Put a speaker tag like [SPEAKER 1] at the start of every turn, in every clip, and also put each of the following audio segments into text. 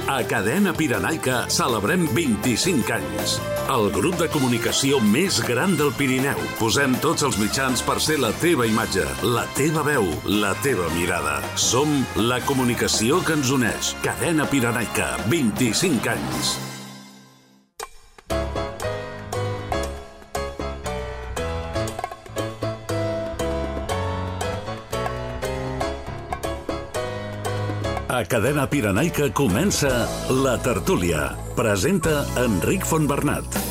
[SPEAKER 1] A Cadena Pirenaica celebrem 25 anys. El grup de comunicació més gran del Pirineu. Posem tots els mitjans per ser la teva imatge, la teva veu, la teva mirada. Som la comunicació que ens uneix. Cadena Pirenaica, 25 anys. A Cadena Pirenaica comença La Tertúlia. Presenta Enric Fontbernat.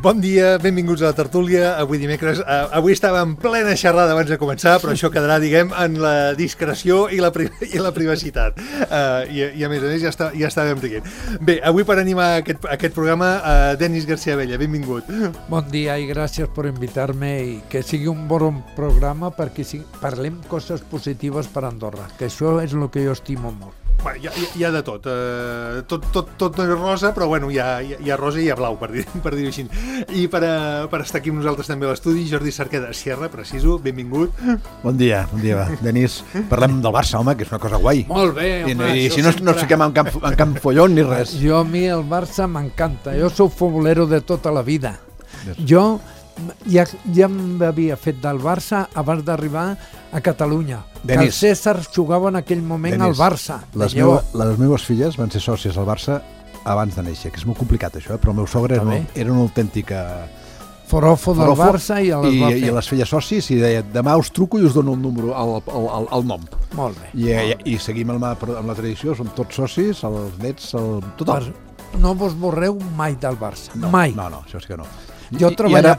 [SPEAKER 2] Bon dia, benvinguts a La Tertúlia. Avui dimecres, avui estava en plena xerrada abans de començar, però això quedarà, diguem, en la discreció i la privacitat. I a més ja estàvem rient. Bé, avui per animar aquest programa, Denis García Abella, benvingut.
[SPEAKER 3] Bon dia i gràcies per invitar-me i que sigui un bon programa perquè parlem coses positives per Andorra, que això és el que jo estimo molt.
[SPEAKER 2] Bueno, hi ha de tot. Tot no és rosa, però bueno, hi ha rosa i hi ha blau, per dir-ho així. I per estar aquí amb nosaltres també a l'estudi, Jordi Cerqueda Sierra, preciso, benvingut.
[SPEAKER 4] Bon dia, va. Denis, parlem del Barça, home, que és una cosa guai.
[SPEAKER 3] Molt bé, home.
[SPEAKER 4] I si no ens fiquem en camp follon ni res.
[SPEAKER 3] A mi el Barça m'encanta. Jo soc futbolero de tota la vida. Jo ja m'havia fet del Barça abans d'arribar a Catalunya. Que el César jugava en aquell moment al Barça.
[SPEAKER 4] Les meves filles van ser sòcies al Barça abans de néixer, que és molt complicat això, però el meu sogre era una autèntica
[SPEAKER 3] forofo del Barça i
[SPEAKER 4] les feia socis i deia, demà us truco i us dono el número, el nom.
[SPEAKER 3] Molt bé.
[SPEAKER 4] I seguim amb la tradició, som tots socis, els nets, tothom.
[SPEAKER 3] No vos borreu mai del Barça, mai.
[SPEAKER 4] No, això sí que no.
[SPEAKER 3] I ara,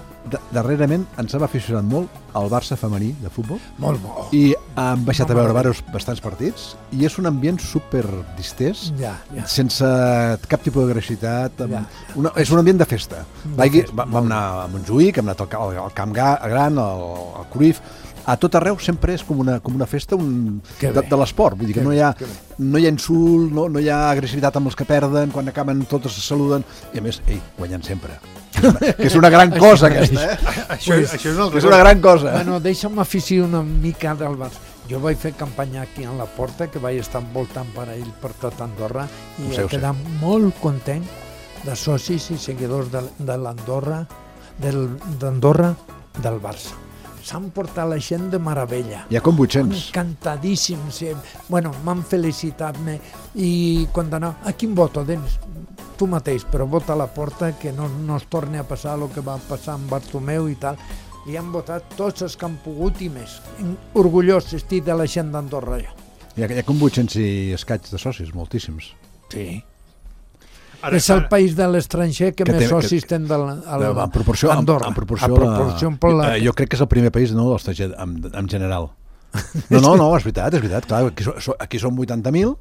[SPEAKER 4] darrerament, ens hem aficionat molt al Barça femení de futbol.
[SPEAKER 3] Molt bo.
[SPEAKER 4] I hem baixat a veure bastants partits i és un ambient super distès, sense cap tipus d'agressivitat. És un ambient de festa. Vam anar a Montjuïc, hem anat al Camp Gran, al Cruyff. A tot arreu sempre és com una festa de l'esport. Vull dir que no hi ha insult, no hi ha agressivitat amb els que perden, quan acaben totes se saluden, i a més, guanyen sempre. Que és una gran cosa, aquesta,
[SPEAKER 2] Això és
[SPEAKER 4] una gran cosa.
[SPEAKER 3] Bueno, deixa'm aficionar una mica del Barça. Jo vaig fer campanya aquí a la Porta, que vaig estar envoltant per ell per tot Andorra, i he quedat molt content de socis i seguidors d'Andorra, del Barça. S'han portat la gent de meravella.
[SPEAKER 4] Hi ha com 800.
[SPEAKER 3] Encantadíssims. Bueno, m'han felicitat-me i quan anava, a quin voto, Denis? Tu mateix, però vota a la Porta, que no es torni a passar el que va passar amb Bartomeu i tal. I han votat tots els que han pogut i més. Orgullós estic de la gent d'Andorra.
[SPEAKER 4] Hi ha com 800 i escaig de socis, moltíssims.
[SPEAKER 3] Sí. És el país de l'estranger que més socis té
[SPEAKER 4] en proporció
[SPEAKER 3] Andorra.
[SPEAKER 4] Jo crec que és el primer país de l'estranger en general. No, és veritat. Clar, aquí són 80.000,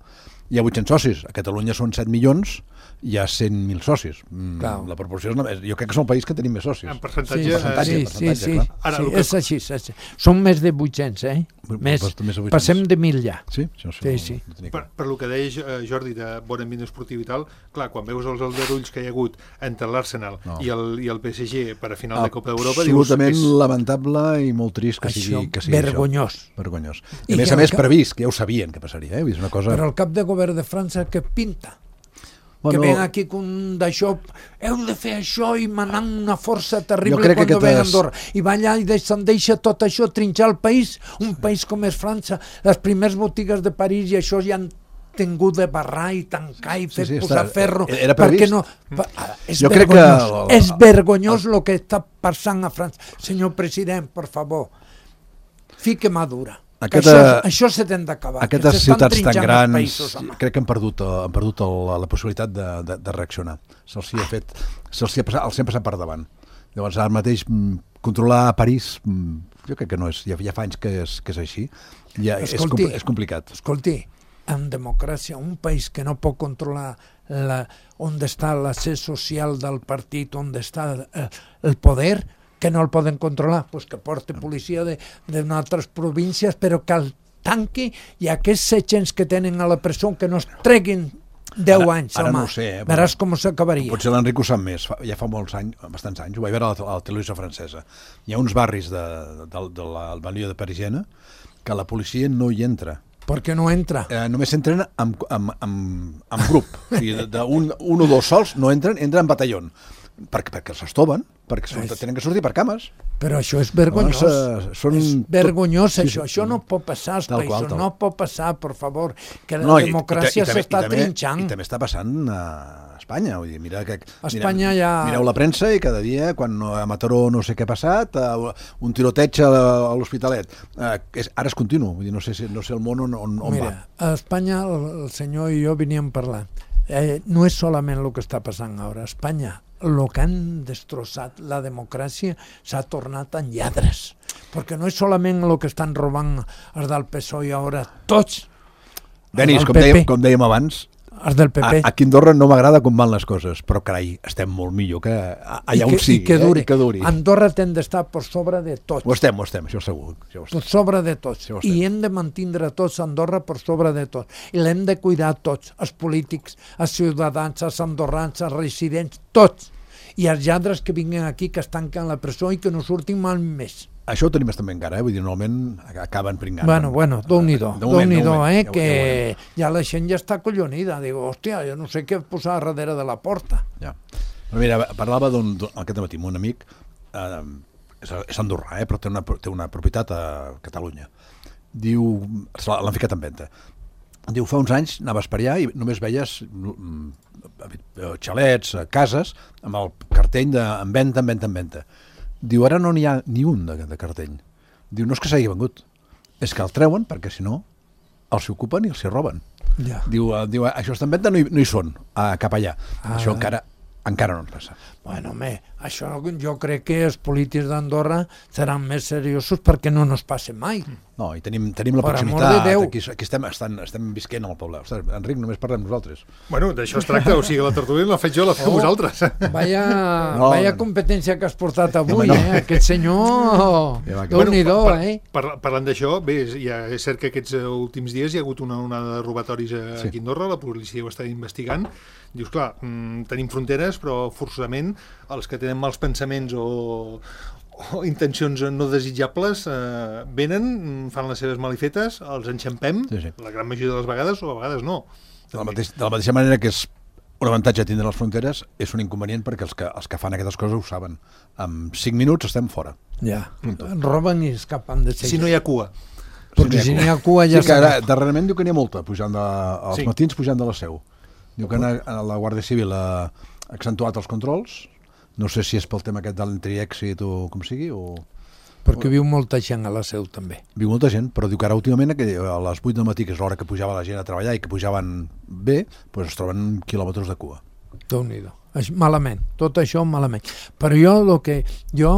[SPEAKER 4] hi ha 800 socis. A Catalunya són 7 milions, hi ha 100.000 socis. La proporció jo crec que és un país que tenim més socis.
[SPEAKER 2] En percentatge.
[SPEAKER 3] Sí. És així. Són més de 800, Passem de 1.000 ja.
[SPEAKER 4] Sí.
[SPEAKER 2] Per lo que deia Jordi de bon ambient esportiu i tal, clar, quan veus els aldarulls que hi ha hagut entre l'Arsenal i el PSG per a final de Copa d'Europa,
[SPEAKER 4] absolutament lamentable i molt trist que sigui
[SPEAKER 3] vergonyós.
[SPEAKER 4] I a més previst, que ja ho sabien que passaria.
[SPEAKER 3] Però el cap de govern de França que pinta? Que ven aquí d'això, heu de fer això i manant una força terrible quan ven a Andorra. I va allà i se'n deixa tot això, trinxar el país, un país com és França. Les primeres botigues de París i això ja han tingut de barrar i tancar i fer posar ferro.
[SPEAKER 4] Era previst?
[SPEAKER 3] És vergonyós el que està passant a França. Senyor president, per favor, fique mà dura. Això se t'ha d'acabar.
[SPEAKER 4] Aquestes ciutats tan grans crec que han perdut la possibilitat de reaccionar. Se'ls ha passat per davant. Llavors ara mateix controlar París jo crec que no és, ja fa anys que és així. És complicat.
[SPEAKER 3] Escolti, en democràcia, un país que no pot controlar on està l'accés social del partit, on està el poder, que no el poden controlar, pues que porti policia d'altres províncies, però que el tanqui i aquests 700 que tenen a la presó que no es treguin 10 anys,
[SPEAKER 4] ara
[SPEAKER 3] home.
[SPEAKER 4] No ho sé,
[SPEAKER 3] veràs com s'acabaria.
[SPEAKER 4] Potser l'Enric ho sap més, ja fa bastants anys, ho vaig veure a la televisió francesa. Hi ha uns barris de la banlieue de Parisiena que la policia no hi entra.
[SPEAKER 3] Per què no entra?
[SPEAKER 4] Només s'entren en grup. O sigui, d'un o dos sols no entren en batalló. Perquè s'estoven, perquè tenen que sortir per cames.
[SPEAKER 3] Però això és vergonyós. És vergonyós, això. Això no pot passar als països. No pot passar, per favor. Que la democràcia s'està trinxant.
[SPEAKER 4] I també està passant a Espanya. Vull dir, mireu la premsa i cada dia, quan a Mataró no sé què ha passat, un tiroteig a l'Hospitalet. Ara és continu. Vull dir, no sé el món on va.
[SPEAKER 3] Mira, a Espanya el senyor i jo veníem parlant. No és solament el que està passant ara. A Espanya, el que han destrossat la democràcia s'ha tornat en lladres. Perquè no és solament el que estan robant els del PSOE ara, tots.
[SPEAKER 4] Denis, com dèiem abans,
[SPEAKER 3] els del PP.
[SPEAKER 4] Aquí a Andorra no m'agrada com van les coses, però carai, estem molt millor que allà on sigui.
[SPEAKER 3] I que duri. Andorra hem d'estar per sobre de tots.
[SPEAKER 4] Ho estem, això segur.
[SPEAKER 3] Per sobre de tots. I hem de mantindre tots Andorra per sobre de tots. I l'hem de cuidar tots, els polítics, els ciutadans, els andorrans, els residents, tots. I els lladres que vinguin aquí, que es tanquen a la presó i que no surtin mai més.
[SPEAKER 4] Això ho tenim també encara, vull dir, normalment acaben pringant.
[SPEAKER 3] Bueno, Déu-n'hi-do, que ja la gent ja està acollonida. Digo, hòstia, jo no sé què posar darrere de la porta.
[SPEAKER 4] Ja. Però mira, parlava aquest matí amb un amic, és andorrà, però té una propietat a Catalunya. Diu, l'han ficat en venda. Diu, fa uns anys anaves per allà i només veies xalets, cases, amb el cartell en venda. Diu, ara no n'hi ha ni un de cartell. Diu, no és que s'hagi vengut, és que el treuen perquè si no els ocupen i els roben.
[SPEAKER 3] Ja.
[SPEAKER 4] Diu, això està en venda, no hi són, cap allà. Això encara no ens passa.
[SPEAKER 3] Bueno, això jo crec que els polítics d'Andorra seran més seriosos perquè no ens passe mai.
[SPEAKER 4] No, i tenim la proximitat, aquí estem visquent al poble. Ostres, Enric, només parlem nosaltres.
[SPEAKER 2] Bueno, d'això es tracta, o sigui, la tertúlia la faig jo, la feu vosaltres.
[SPEAKER 3] Vaya competència que has portat avui, aquest senyor, Déu-n'hi-do,
[SPEAKER 2] Parlant d'això, bé, és cert que aquests últims dies hi ha hagut una onada de robatoris aquí a Andorra, la policia ho està investigant. Dius, clar, tenim fronteres, però forçosament els que tenen mals pensaments o intencions no desitjables venen, fan les seves malifetes, els enxampem, la gran majoria de les vegades, o a vegades no.
[SPEAKER 4] De la mateixa manera que és un avantatge tindre les fronteres, és un inconvenient perquè els que fan aquestes coses ho saben. En 5 minuts estem fora.
[SPEAKER 3] Ja, roben i escapen de seguida.
[SPEAKER 2] Si no hi ha cua.
[SPEAKER 3] Perquè si no hi ha cua ja
[SPEAKER 4] s'ha... Darrerament diu que n'hi ha molta, als matins pujant de la Seu. Diu que la Guàrdia Civil ha accentuat els controls. No sé si és pel tema aquest de l'entri-èxit o com sigui, o...
[SPEAKER 3] Perquè viu molta gent a la Seu, també.
[SPEAKER 4] Viu molta gent, però diu que ara últimament, a les 8 del matí, que és l'hora que pujava la gent a treballar i que pujaven bé, doncs es troben quilòmetres de cua.
[SPEAKER 3] Déu-n'hi-do. Malament, tot això malament. Però jo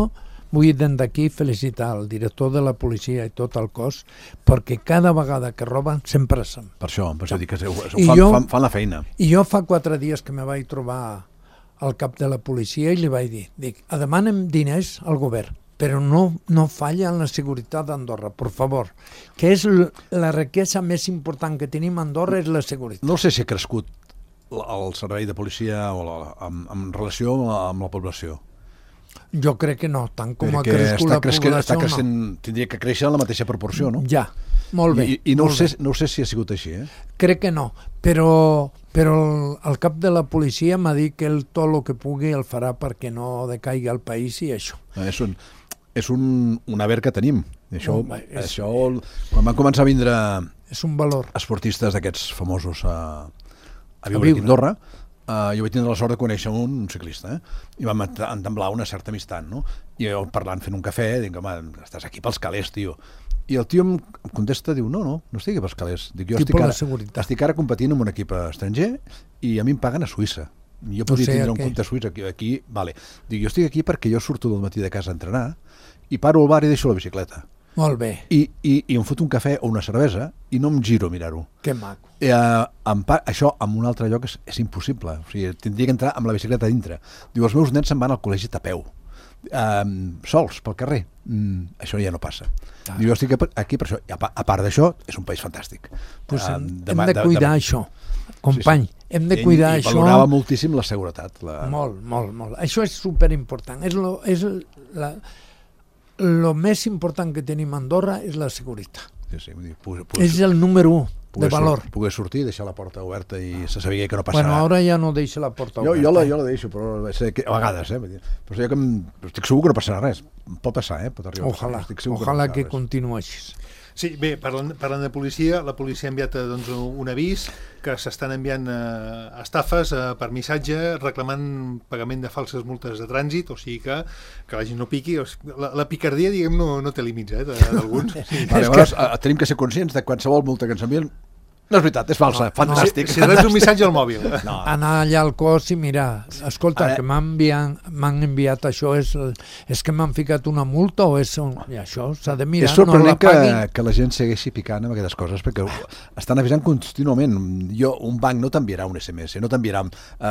[SPEAKER 3] vull d'aquí felicitar el director de la policia i tot el cos, perquè cada vegada que roben sempre són.
[SPEAKER 4] Per això dic que fan la feina.
[SPEAKER 3] I jo fa 4 dies que me vaig trobar al cap de la policia i li vaig dir, demanem diners al govern, però no falla en la seguretat d'Andorra, per favor, que és la riquesa més important que tenim a Andorra, és la seguretat.
[SPEAKER 4] No sé si ha crescut el servei de policia en relació amb la població.
[SPEAKER 3] Jo crec que no, tant com ha crescut la població,
[SPEAKER 4] no. Tindria que créixer en la mateixa proporció, no?
[SPEAKER 3] Ja, molt bé.
[SPEAKER 4] I no sé si ha sigut així,
[SPEAKER 3] Crec que no, però el cap de la policia m'ha dit que tot el que pugui el farà perquè no decaigui el país i això.
[SPEAKER 4] És un haver que tenim. Això, quan van començar a vindre esportistes d'aquests famosos a viure aquí a Andorra, jo vaig tindre la sort de conèixer un ciclista, i vam entamblar una certa amistat, no? I jo parlant, fent un cafè, dic, home, estàs aquí pels calés, tio. I el tio em contesta, diu, no estic aquí pels calés. Dic, jo estic ara competint amb un equip estranger i a mi em paguen a Suïssa. Jo podria tindre un compte a Suïssa aquí, vale. Dic, jo estic aquí perquè jo surto del matí de casa a entrenar i paro al bar i deixo la bicicleta.
[SPEAKER 3] Molt bé.
[SPEAKER 4] I em foto un cafè o una cervesa i no em giro a mirar-ho.
[SPEAKER 3] Que maco.
[SPEAKER 4] Això en un altre lloc és impossible. O sigui, tindria que entrar amb la bicicleta dintre. Diu, els meus nens se'n van al col·legi a peu. Sols, pel carrer. Això ja no passa. Diu, jo estic aquí per això. I a part d'això, és un país fantàstic.
[SPEAKER 3] Hem de cuidar això, company. Hem de cuidar això.
[SPEAKER 4] I valorava moltíssim la seguretat.
[SPEAKER 3] Molt. Això és superimportant. El més important que tenim a Andorra és la seguretat. És el número 1 de valor.
[SPEAKER 4] Poder sortir, deixar la porta oberta i se sabia que no passarà.
[SPEAKER 3] Bueno, ara ja no deixa la porta oberta.
[SPEAKER 4] Jo la deixo, però a vegades, però jo estic segur que no passarà res. Pot passar, pot arribar.
[SPEAKER 3] Ojalà que continuï així.
[SPEAKER 2] Sí, bé, parlant de policia, la policia ha enviat un avís que s'estan enviant estafes per missatge reclamant pagament de falses multes de trànsit, o sigui que la gent no piqui. La picardia, diguem, no té límits, d'alguns.
[SPEAKER 4] Llavors, tenim que ser conscients de qualsevol multa que ens envien. No és veritat, és falsa, fantàstic.
[SPEAKER 2] Si reps un missatge al mòbil.
[SPEAKER 3] Anar allà al cos i mirar, escolta, que m'han enviat això, és que m'han ficat una multa o és... I això s'ha de mirar,
[SPEAKER 4] és sorprenent que la gent segueixi picant amb aquestes coses, perquè estan avisant contínuament. Un banc no t'enviarà un SMS, no t'enviarà...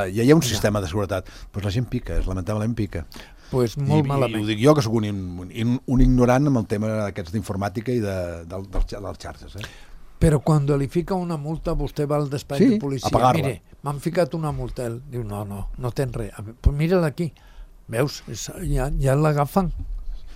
[SPEAKER 4] Ja hi ha un sistema de seguretat, però la gent pica, lamentablement pica.
[SPEAKER 3] Pues molt malament.
[SPEAKER 4] I ho dic jo, que sóc un ignorant amb el tema d'aquests d'informàtica i dels xarxes,
[SPEAKER 3] Però quan li fica una multa, vostè va al despatx de policia. Mire, m'han ficat una multa. Ell diu, no tens res. Pues mira-la aquí. Veus? Ja l'agafen.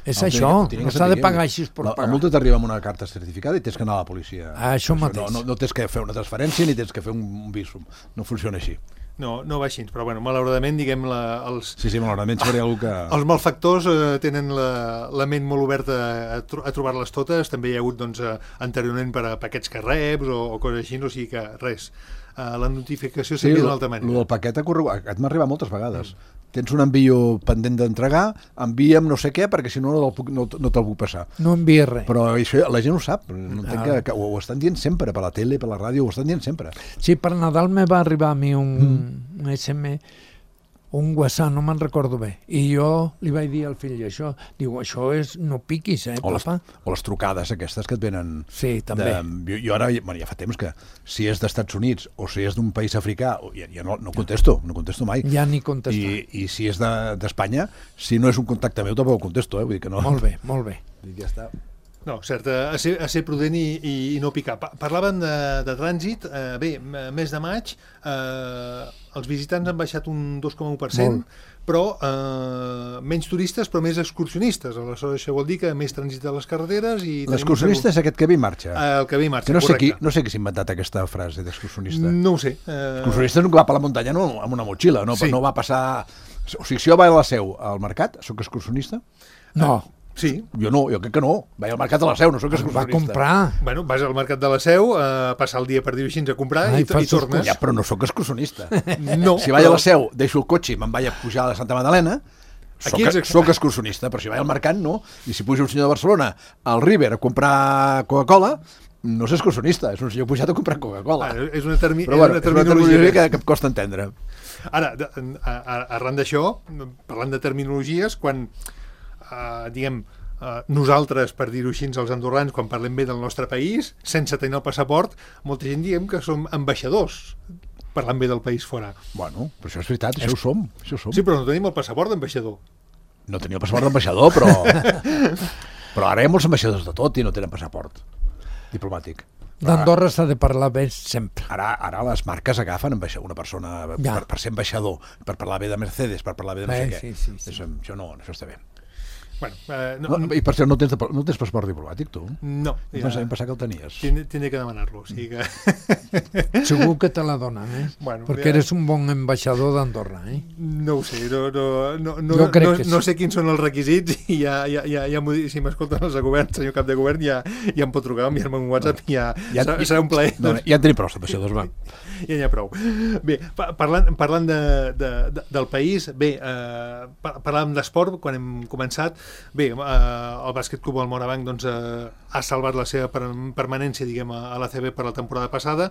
[SPEAKER 3] És això. No s'ha de pagar així per pagar.
[SPEAKER 4] La multa t'arriba amb una carta certificada i tens que anar a la policia.
[SPEAKER 3] Això mateix.
[SPEAKER 4] No tens que fer una transferència ni tens que fer un visum. No funciona així.
[SPEAKER 2] No va així, però malauradament, diguem,
[SPEAKER 4] malauradament seria algú que...
[SPEAKER 2] Els malfactors tenen la ment molt oberta a trobar-les totes. També hi ha hagut anteriorment per a paquets que reps o coses així, o sigui que res. La notificació s'envia d'una altra manera.
[SPEAKER 4] El del paquet m'ha arribat moltes vegades. Tens un envio pendent d'entregar, envia'm no sé què, perquè si no te'l puc passar.
[SPEAKER 3] No envia res.
[SPEAKER 4] Però això la gent ho sap, ho estan dient sempre, per la tele, per la ràdio, ho estan dient sempre.
[SPEAKER 3] Sí, per Nadal me va arribar a mi un SMS, un WhatsApp, no me'n recordo bé, i jo li vaig dir al fill això, diu, això és, no piquis, papa.
[SPEAKER 4] O les trucades aquestes que et venen...
[SPEAKER 3] Sí, també.
[SPEAKER 4] Jo ara, ja fa temps que si és d'Estats Units o si és d'un país africà, ja no contesto mai.
[SPEAKER 3] Ja ni contesto.
[SPEAKER 4] I si és d'Espanya, si no és un contacte meu, tampoc contesto, vull dir que no...
[SPEAKER 3] Molt bé.
[SPEAKER 4] Ja està.
[SPEAKER 2] No, cert, a ser prudent i no picar. Parlaven de trànsit. Bé, mes de maig, els visitants han baixat un 2,1%, però menys turistes, però més excursionistes. Aleshores, això vol dir que més trànsit a les carreteres...
[SPEAKER 4] L'excursionista és aquest que ve i marxa.
[SPEAKER 2] El que ve i marxa, correcte.
[SPEAKER 4] No sé qui s'ha inventat aquesta frase d'excursionista.
[SPEAKER 2] No ho sé.
[SPEAKER 4] L'excursionista és un que va per la muntanya amb una motxilla, no va passar... O sigui, si jo vaig a la Seu al mercat, sóc excursionista?
[SPEAKER 2] No. Sí.
[SPEAKER 4] Jo crec que no. Vaig al mercat de la Seu, no sóc excursionista.
[SPEAKER 3] Va comprar.
[SPEAKER 2] Bueno, vas al mercat de la Seu, passar el dia, per dir-ho així, a comprar i tornes.
[SPEAKER 4] Ja, però no sóc excursionista.
[SPEAKER 2] No.
[SPEAKER 4] Si vaig a la Seu, deixo el cotxe i me'n vaig a pujar a la Santa Magdalena, soc excursionista, però si vaig al mercat, no. I si puja un senyor de Barcelona al River a comprar Coca-Cola, no és excursionista, és un senyor pujat a comprar Coca-Cola.
[SPEAKER 2] És una terminologia
[SPEAKER 4] que em costa entendre.
[SPEAKER 2] Ara, arran d'això, parlant de terminologies, quan... diguem, nosaltres, per dir-ho així, els andorrans, quan parlem bé del nostre país, sense tenir el passaport, molta gent diem que som ambaixadors, parlant bé del país fora.
[SPEAKER 4] Bueno, però això és veritat, això ho som.
[SPEAKER 2] Sí, però no tenim el passaport d'ambaixador.
[SPEAKER 4] No tenim el passaport d'ambaixador, però ara hi ha molts ambaixadors de tot i no tenen passaport diplomàtic.
[SPEAKER 3] D'Andorra s'ha de parlar bé sempre.
[SPEAKER 4] Ara les marques agafen una persona per ser ambaixador, per parlar bé de Mercedes, per parlar bé de no sé què.
[SPEAKER 3] Sí.
[SPEAKER 4] Això està bé.
[SPEAKER 2] Bueno,
[SPEAKER 4] I per cert, no tens passaport diplomàtic, tu?
[SPEAKER 2] No.
[SPEAKER 4] Em pensava que el tenies.
[SPEAKER 2] Tindré que demanar-lo, o sigui que...
[SPEAKER 3] Segur que te la donen,
[SPEAKER 2] Bueno,
[SPEAKER 3] perquè eres un bon ambaixador d'Andorra,
[SPEAKER 2] No ho sé, no sé quins són els requisits i si m'escolten els de govern, senyor cap de govern, ja em pot trucar, enviar-me un WhatsApp i serà un plaer.
[SPEAKER 4] Ja en tenim prou, ambaixadors, va.
[SPEAKER 2] Ja n'hi ha prou. Bé, parlant del país, bé, parlàvem d'esport quan hem començat. Bé, el Bàsquet Club Morabanc ha salvat la seva permanència, diguem, a l'ACB per la temporada passada.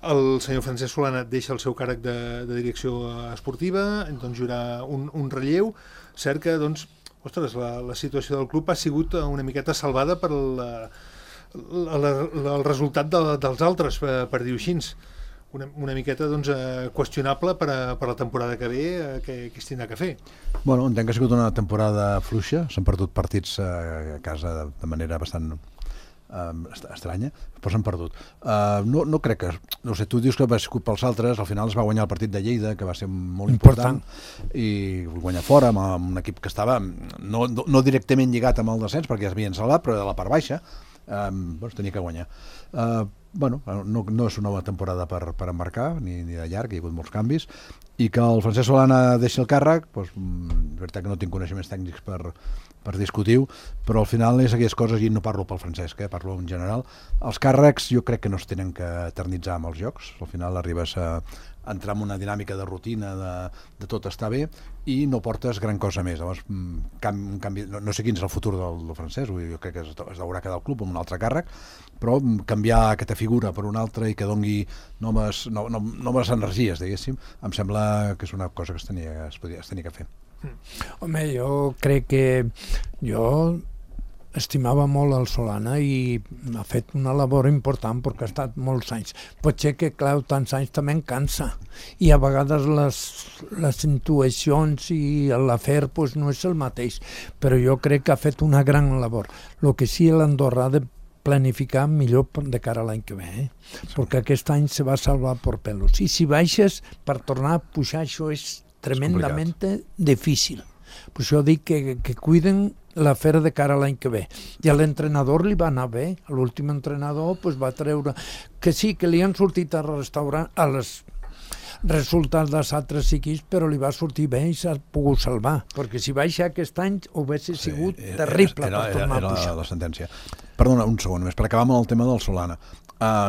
[SPEAKER 2] El senyor Francesc Solana deixa el seu càrrec de direcció esportiva, doncs hi haurà un relleu. Cert que, ostres, la situació del club ha sigut una miqueta salvada per el resultat dels altres, per dir-ho així. Una miqueta qüestionable per a la temporada que ve, que es tindrà que fer.
[SPEAKER 4] Bueno, entenc que ha sigut una temporada fluixa, s'han perdut partits a casa de manera bastant estranya, però s'han perdut. No crec que... No sé, tu dius que va ser pels altres, al final es va guanyar el partit de Lleida, que va ser molt important. I guanyar fora amb un equip que estava no directament lligat amb el descens, perquè ja s'havien salvat, però de la part baixa. tenia que guanyar. No és una nova temporada per embarcar, ni de llarg, hi ha hagut molts canvis, i que el Francesc Solana deixi el càrrec, és veritat que no tinc coneixements tècnics per discutir-ho, però al final és aquelles coses, i no parlo pel Francesc, parlo en general, els càrrecs jo crec que no es tenen que eternitzar amb els jocs, al final arribes a entrar en una dinàmica de rutina, de tot està bé, i no portes gran cosa més. Llavors, no sé quin és el futur del Francesc, jo crec que es deurà quedar al club amb un altre càrrec, però canviar aquesta figura per una altra i que doni noves energies, diguéssim, em sembla que és una cosa que es tenia que fer.
[SPEAKER 3] Home, jo crec que jo estimava molt el Solana i ha fet una labor important perquè ha estat molts anys. Potser que, clar, tants anys també en cansa i a vegades les intuïcions i l'afer no és el mateix, però jo crec que ha fet una gran labor. El que sí, l'Andorra ha de planificar millor de cara a l'any que ve, perquè aquest any se va salvar per pelos. I si baixes, per tornar a pujar, això és tremendamente difícil. Per això dic que cuiden l'afer de cara a l'any que ve. I a l'entrenador li va anar bé. L'últim entrenador va treure... Que sí, que li han sortit a restaurar a les resultats dels altres equips, però li va sortir bé i s'ha pogut salvar. Perquè si baixa aquest any hauria sigut terrible per tornar a pujar.
[SPEAKER 4] Era la sentència. Perdona, un segon només, per acabar amb el tema del Solana.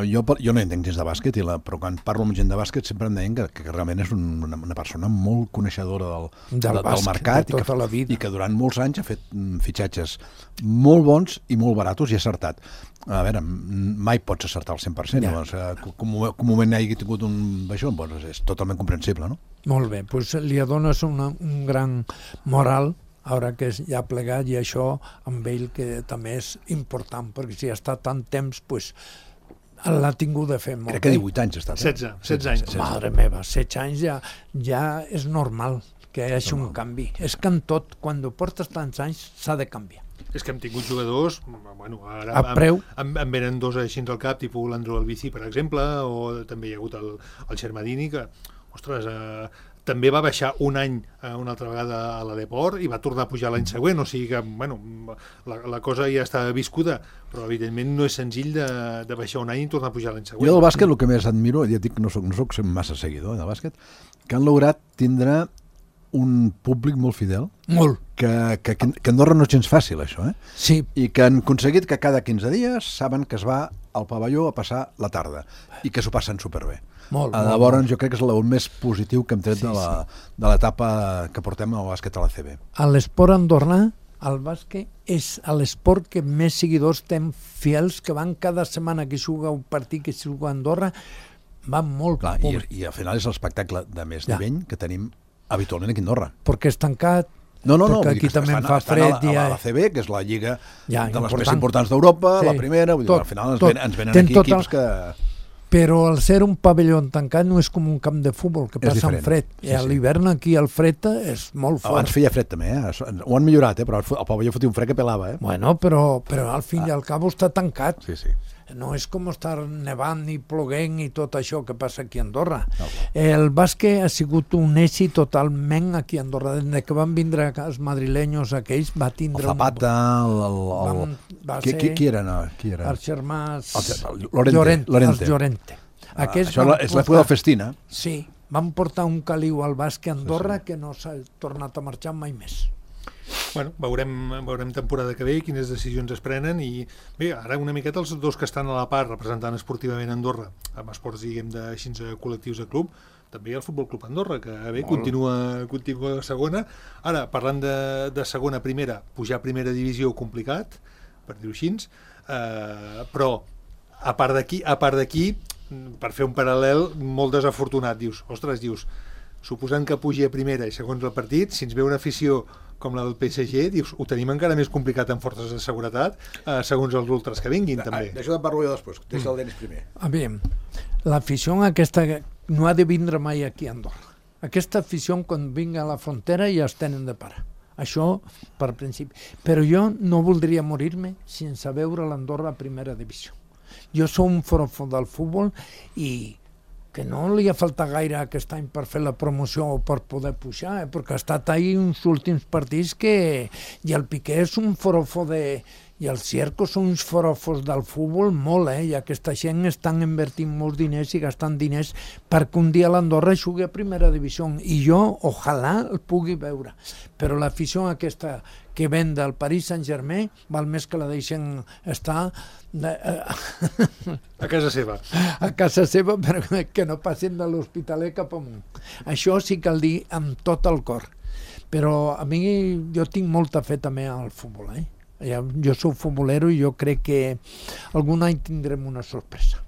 [SPEAKER 4] Jo no entenc gens de bàsquet, però quan parlo amb gent de bàsquet sempre em deien que realment és una persona molt coneixedora del mercat
[SPEAKER 3] de tota la vida.
[SPEAKER 4] I que durant molts anys ha fet fitxatges molt bons i molt baratos i acertat. A veure, mai pots acertar al 100%, que un moment hagi tingut un baixó, és totalment comprensible, no?
[SPEAKER 3] Molt bé, doncs li dones un gran moral ara que ja ha plegat, i això amb ell que també és important, perquè si ha estat tant temps, l'ha tingut de fer molt bé.
[SPEAKER 4] Crec que 18 anys ha estat.
[SPEAKER 2] 16 anys.
[SPEAKER 3] Madre meva, 16 anys ja és normal que hi hagi un canvi. És que en tot, quan portes tants anys, s'ha de canviar.
[SPEAKER 2] És que hem tingut jugadors, ara
[SPEAKER 3] a preu.
[SPEAKER 2] Em venen dos així al cap, tipus l'Andro Albici, per exemple, o també hi ha hagut el Xermadini, que, ostres, també va baixar un any una altra vegada a la Deport i va tornar a pujar l'any següent, o sigui que la cosa ja està viscuda, però evidentment no és senzill de baixar un any i tornar a pujar l'any següent.
[SPEAKER 4] Jo del bàsquet el que més admiro, ja dic que no soc massa seguidor del bàsquet, que han lograt tindre un públic molt fidel, que Andorra no és gens fàcil, això,
[SPEAKER 3] Sí.
[SPEAKER 4] I que han aconseguit que cada 15 dies saben que es va al pavelló a passar la tarda i que s'ho passen superbé. Llavors jo crec que és el més positiu que hem tret de l'etapa que portem al bàsquet a la CB.
[SPEAKER 3] A l'esport andorrà, el bàsquet és l'esport que més seguidors té fidels, que van cada setmana que juga un partit, que juga a Andorra, van molt públic.
[SPEAKER 4] I al final és l'espectacle de més nivell que tenim habitualment aquí a Andorra.
[SPEAKER 3] Perquè és tancat,
[SPEAKER 4] No,
[SPEAKER 3] perquè aquí també fa fred.
[SPEAKER 4] A la CB, que és la lliga de les més importants d'Europa, la primera, al final ens venen aquí equips que...
[SPEAKER 3] Però al ser un pavelló tancat no és com un camp de futbol, que passa en fred. A l'hivern aquí el fred és molt fort.
[SPEAKER 4] Abans feia fred també, ho han millorat, però el pavelló fotia un fred que pelava.
[SPEAKER 3] Bueno, però al fin i al cabo està tancat.
[SPEAKER 4] Sí.
[SPEAKER 3] No és com estar nevant i ploguent i tot això que passa aquí a Andorra. El bàsquet ha sigut un èxit totalment aquí a Andorra. Des que van vindre els madrileños aquells, va tindre...
[SPEAKER 4] El Zapata, qui era?
[SPEAKER 3] Els germans...
[SPEAKER 4] Llorente. Això és l'època del Festina.
[SPEAKER 3] Sí, van portar un caliu al bàsquet a Andorra que no s'ha tornat a marxar mai més.
[SPEAKER 2] Bueno, veurem temporada que ve quines decisions es prenen, i bé, ara una miqueta els dos que estan a la part representant esportivament Andorra amb esports, diguem, així col·lectius de club, també el Futbol Club Andorra, que bé, continua a segona. Ara, parlant de segona a primera, pujar a primera divisió complicat, per dir-ho així, però a part d'aquí, per fer un paral·lel molt desafortunat, dius, suposant que pugi a primera i segons el partit, si ens ve una afició com la del PSG, dius, ho tenim encara més complicat en forces de seguretat, segons els ultras que vinguin, també.
[SPEAKER 4] D'això te'n parlo jo després, deixa el Denis primer.
[SPEAKER 3] Aviam, l'afició aquesta no ha de vindre mai aquí a Andorra. Aquesta afició, quan vinga a la frontera, ja es tenen de parar. Això, per principi. Però jo no voldria morir-me sense veure l'Andorra a primera divisió. Jo soc un forofo del futbol i que no li ha faltat gaire aquest any per fer la promoció o per poder pujar, perquè ha estat ahí uns últims partits que... I el Piqué és un forofo de... I els circos són uns forofos del futbol molt, i aquesta gent estan invertint molts diners i gastant diners perquè un dia l'Andorra jugui a primera divisió. I jo, ojalà, el pugui veure. Però l'afició aquesta que ven del Paris Saint-Germain val més que la deixen estar
[SPEAKER 2] a casa seva.
[SPEAKER 3] A casa seva, perquè no passin de l'Hospitalet cap amunt. Això sí cal dir amb tot el cor. Però a mi jo tinc molta fe també al futbol, Jo soc futbolero i jo crec que algun any tindrem una sorpresa.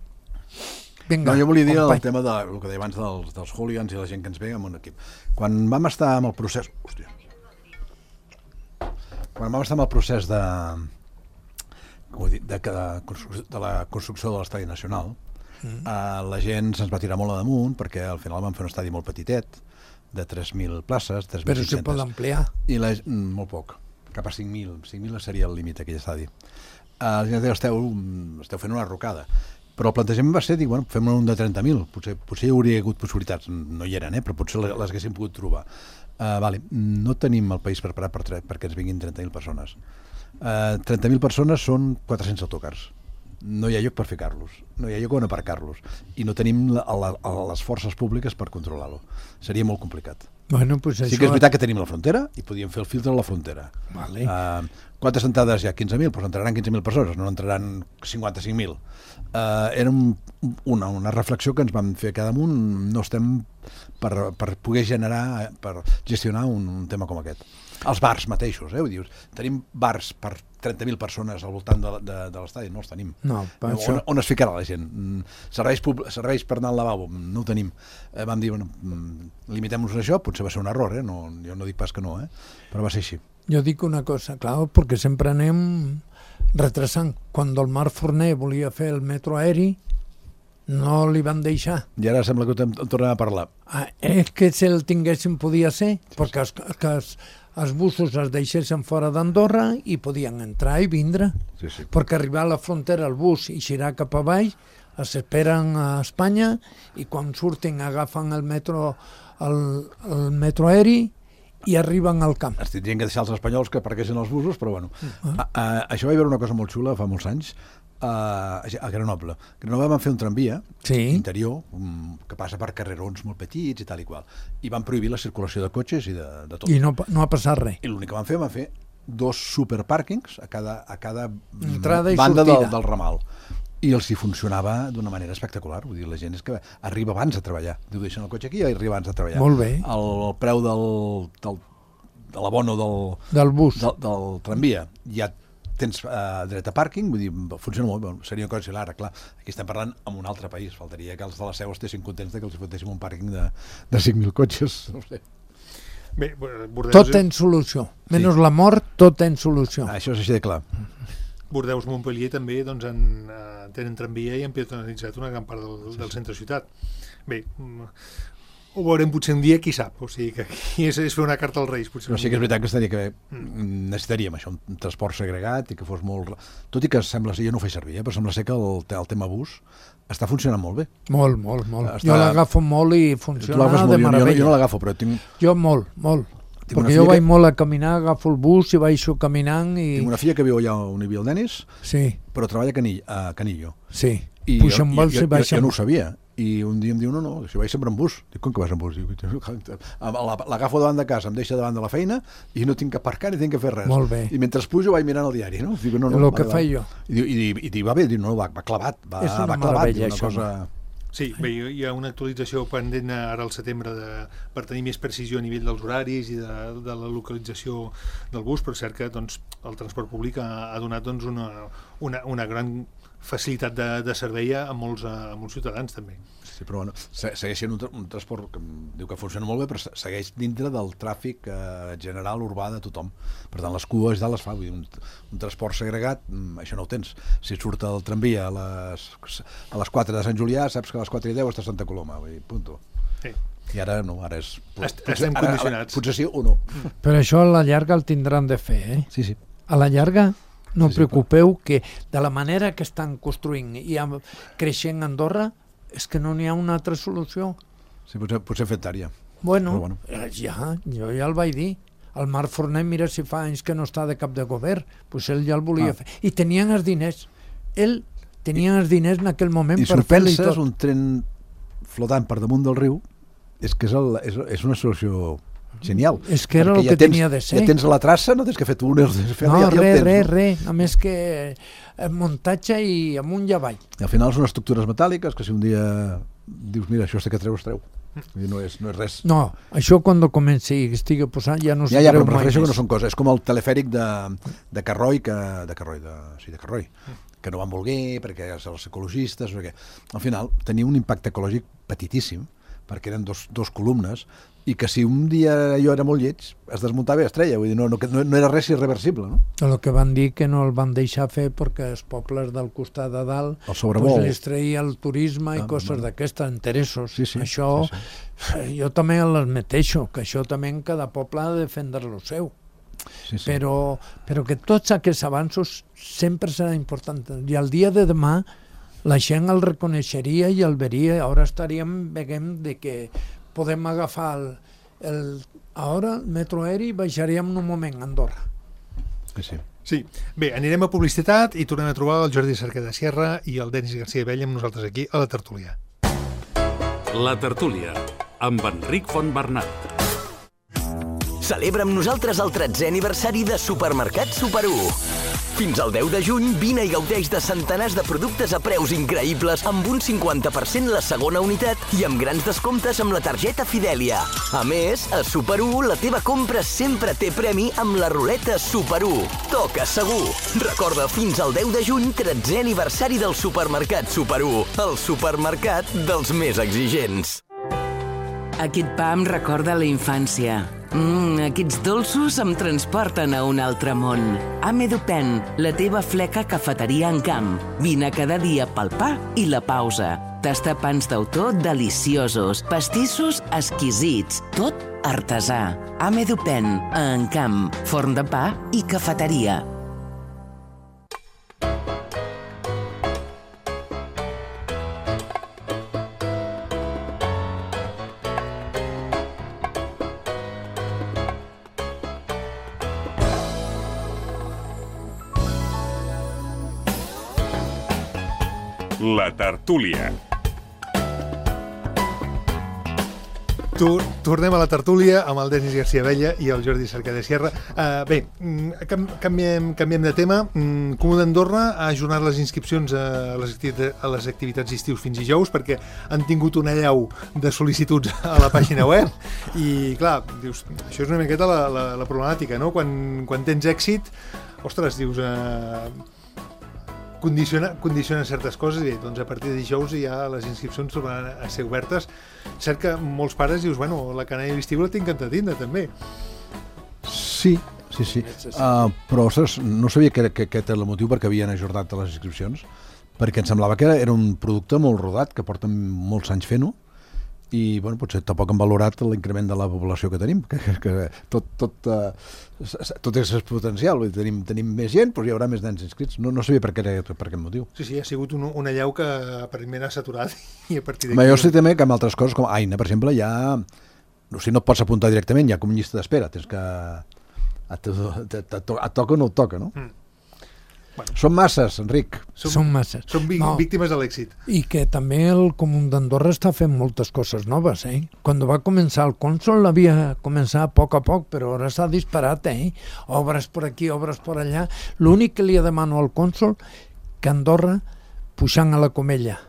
[SPEAKER 3] Vinga,
[SPEAKER 4] no, jo volia dir el tema del que deia abans dels hooligans i la gent que ens ve amb un equip. Quan vam estar amb el procés... Hòstia. Quan vam estar amb el procés de la construcció de l'Estadi Nacional, la gent se'ns va tirar molt a damunt perquè al final vam fer un estadi molt petitet, de 3.000 places, 3.500.
[SPEAKER 3] Però se pot ampliar?
[SPEAKER 4] I molt poc, cap a 5.000. 5.000 seria el límit d'aquell estadi. La gent deia, esteu fent una rocada. Però el plantejament va ser dir, bueno, fem un de 30.000, potser hi hauria hagut possibilitats, no hi eren, però potser les haguéssim pogut trobar. No tenim el país preparat perquè ens vinguin 30.000 persones. 30.000 persones són 400 autocars. No hi ha lloc per ficar-los, no hi ha lloc on aparcar-los, i no tenim les forces públiques per controlar-lo. Seria molt complicat.
[SPEAKER 3] Bueno, pues
[SPEAKER 4] sí que és veritat que tenim la frontera i podíem fer el filtre a la frontera.
[SPEAKER 3] Vale.
[SPEAKER 4] Quantes entrades hi ha? 15.000? Doncs entraran 15.000 persones, no entraran 55.000. Era una reflexió que ens vam fer cada damunt. No estem per poder generar, per gestionar un tema com aquest. Els bars mateixos, dius, tenim bars per 30.000 persones al voltant de l'estadi, no els tenim.
[SPEAKER 3] No,
[SPEAKER 4] on es ficarà la gent? Serveis per anar al lavabo, no ho tenim. Vam dir, bueno, limitem-nos a això, potser va ser un error, jo no dic pas que no, però va ser així.
[SPEAKER 3] Jo dic una cosa, clar, perquè sempre anem retrasant. Quan el Marc Forner volia fer el metro aeri, no li van deixar.
[SPEAKER 4] I ara sembla que en tornem a parlar.
[SPEAKER 3] És que si el tinguéssim podia ser, perquè els busos es deixessin fora d'Andorra i podien entrar i vindre.
[SPEAKER 4] Sí.
[SPEAKER 3] Perquè arribar a la frontera el bus i girar cap avall, es esperen a Espanya i quan surtin agafen el metro aeri i arriben al camp.
[SPEAKER 4] Es tindrien que deixar els espanyols que aparquessin els busos, però bueno. Això va haver una cosa molt xula fa molts anys, a Grenoble. A Grenoble van fer un tramvia interior que passa per carrerons molt petits i tal i qual. I van prohibir la circulació de cotxes i de tot.
[SPEAKER 3] I no ha passat res.
[SPEAKER 4] I l'únic que van fer 2 superpàrquings a cada
[SPEAKER 3] banda
[SPEAKER 4] del ramal. I els hi funcionava d'una manera espectacular. Vull dir, la gent és que arriba abans a treballar. Diu, deixen el cotxe aquí i arriba abans a treballar.
[SPEAKER 3] Molt bé.
[SPEAKER 4] El preu de l'abono
[SPEAKER 3] del bus,
[SPEAKER 4] del tramvia, ja tens dret a pàrquing, vull dir, funciona molt bé. Seria una cosa similar, clar. Aquí estem parlant en un altre país. Faltaria que els de la Seu estessin contents que els fotéssim un pàrquing de 5.000 cotxes. No sé.
[SPEAKER 2] Bé,
[SPEAKER 3] tot ten solució. Menys la mort, tot ten solució.
[SPEAKER 4] Això és així de clar.
[SPEAKER 2] Bordeus-Montpellier també tenen tramvia i han peatonalitzat una gran part del centre-ciutat. Bé, ho veurem potser un dia, qui sap, o sigui que aquí és fer una carta als Reis.
[SPEAKER 4] Però sí que és veritat que necessitaríem això, un transport segregat i que fos molt... Tot i que sembla ser, jo no ho faig servir, però sembla ser que el tema bus està funcionant molt bé.
[SPEAKER 3] Molt. Jo l'agafo molt i funciona de meravella.
[SPEAKER 4] Jo no l'agafo, però tinc...
[SPEAKER 3] Jo molt. Perquè jo vaig molt a caminar, agafo el bus i baixo caminant i...
[SPEAKER 4] Tinc una filla que viu allà on hi havia el Denis, però treballa a Canillo.
[SPEAKER 3] Sí,
[SPEAKER 4] puja amb vols i baixa. Jo no ho sabia. I un dia em diu, no, si vaig sempre en bus. Dic, com que vas en bus? L'agafo davant de casa, em deixa davant de la feina i no tinc que aparcar ni tinc que fer res.
[SPEAKER 3] Molt bé.
[SPEAKER 4] I mentre pujo vaig mirant el diari, no? Dic,
[SPEAKER 3] el que faig jo.
[SPEAKER 4] I va bé, va clavat.
[SPEAKER 3] És una meravella,
[SPEAKER 4] això.
[SPEAKER 2] Sí, bé, hi ha una actualització pendent ara al setembre per tenir més precisió a nivell dels horaris i de la localització del bus, però és cert que el transport públic ha donat una gran facilitat de servei a molts ciutadans també.
[SPEAKER 4] Sí, però bueno, segueix sent un transport que diu que funciona molt bé, però segueix dintre del tràfic general urbà de tothom. Per tant, les cues ja les fa. Vull dir, un transport segregat, això no ho tens. Si surt el tramvia a les 4 de Sant Julià, saps que a les 4:10 està a Santa Coloma. Vull dir, punto.
[SPEAKER 2] Sí.
[SPEAKER 4] I ara no, ara és...
[SPEAKER 2] Estem condicionats.
[SPEAKER 4] Potser sí o no.
[SPEAKER 3] Però això a la llarga el tindran de fer,
[SPEAKER 4] Sí.
[SPEAKER 3] A la llarga... No preocupeu que de la manera que estan construint i creixent Andorra és que no n'hi ha una altra solució.
[SPEAKER 4] Sí, potser fet tària.
[SPEAKER 3] Bueno, jo ja el vaig dir. El Marc Forner, mira si fa anys que no està de cap de govern, doncs ell ja el volia fer. I tenien els diners. Ell tenia els diners en aquell moment per fer-li tot.
[SPEAKER 4] I si ho penses, un tren flotant per damunt del riu, és que és una solució genial.
[SPEAKER 3] És que era el que tenia de ser.
[SPEAKER 4] Ja tens la traça, no tens que fer túnels.
[SPEAKER 3] No, res. Només que muntatge i amunt i avall.
[SPEAKER 4] I al final són estructures metàl·liques que si un dia dius, mira, això que treu, es treu. No és res.
[SPEAKER 3] No, això quan comenci i estigui posant ja no es treu mai més.
[SPEAKER 4] Però prefereixo que no són coses. És com el telefèric de Carroi, que no van voler perquè els ecologistes, perquè al final tenia un impacte ecològic petitíssim, perquè eren dos columnes, i que si un dia allò era molt lleig, es desmuntava i es treia, vull dir, no era res irreversible, no?
[SPEAKER 3] El que van dir que no el van deixar fer perquè els pobles del costat de dalt els treia el turisme i coses d'aquestes, interessos. Això jo també l'admeteixo, que això també en cada poble ha de defendre lo seu. Però que tots aquests avanços sempre serà important. I el dia de demà la gent el reconeixeria i el veria. Ara veiem que podem agafar ara el metro aeri i baixaríem en un moment a Andorra.
[SPEAKER 2] Sí. Bé, anirem a publicitat i tornem a trobar el Jordi Cerqueda Sierra i el Denis García Vella amb nosaltres aquí a la tertúlia.
[SPEAKER 1] La tertúlia, amb Enric Fontbernat.
[SPEAKER 5] Celebra amb nosaltres el 13è aniversari de Supermercat Super 1. Fins al 10 de juny, vine i gaudeix de centenars de productes a preus increïbles amb un 50% la segona unitat i amb grans descomptes amb la targeta Fidèlia. A més, a Super 1 la teva compra sempre té premi amb la ruleta Super 1. Toca segur! Recorda, fins al 10 de juny, 13è aniversari del Supermercat Super 1, el supermercat dels més exigents.
[SPEAKER 6] Aquest pa em recorda la infància. Aquests dolços em transporten a un altre món. Amedupen, la teva fleca cafeteria en camp. Vine cada dia pel pa i la pausa. Tastar pans d'autor deliciosos, pastissos exquisits, tot artesà. Amedupen, a Encamp, forn de pa i cafeteria.
[SPEAKER 1] La tertúlia.
[SPEAKER 2] Tornem a la tertúlia amb el Denis García Vella i el Jordi Cerqueda Sierra. Bé, canviem de tema. Comú d'Andorra ha ajornat les inscripcions a les activitats d'estius fins dijous perquè han tingut una allau de sol·licituds a la pàgina web i, clar, dius, això és una miqueta la problemàtica, no? Quan tens èxit, ostres, dius... Condiciona certes coses i doncs a partir de dijous ja les inscripcions tornaran a ser obertes. Cert que molts pares dius, bueno, la canalla d'estiu la tinc encantada també.
[SPEAKER 4] Sí. Però, ostres, no sabia que aquest era el motiu perquè havien ajornat les inscripcions, perquè em semblava que era un producte molt rodat, que porten molts anys fent-ho, i bueno, potser tampoc han valorat l'increment de la població que tenim, que tot és exponencial, tenim més gent, però hi haurà més nens inscrits. No sabia per aquest motiu.
[SPEAKER 2] Sí, ha sigut una allau que primer ha saturat i a partir d'aquí...
[SPEAKER 4] Jo sé també que amb altres coses, com Aina, per exemple, ja... O sigui, no et pots apuntar directament, ja com llista d'espera, tens que... Et toca o no et toca, no? Bueno. Són masses, Enric.
[SPEAKER 3] Són masses.
[SPEAKER 2] Són víctimes de l'èxit.
[SPEAKER 3] I que també el Comú d'Andorra està fent moltes coses noves, Quan va començar el Consol havia començat a poc, però ara s'ha disparat, Obres per aquí, obres per allà. L'únic que li demano al Consol que Andorra, pujant a la Comella,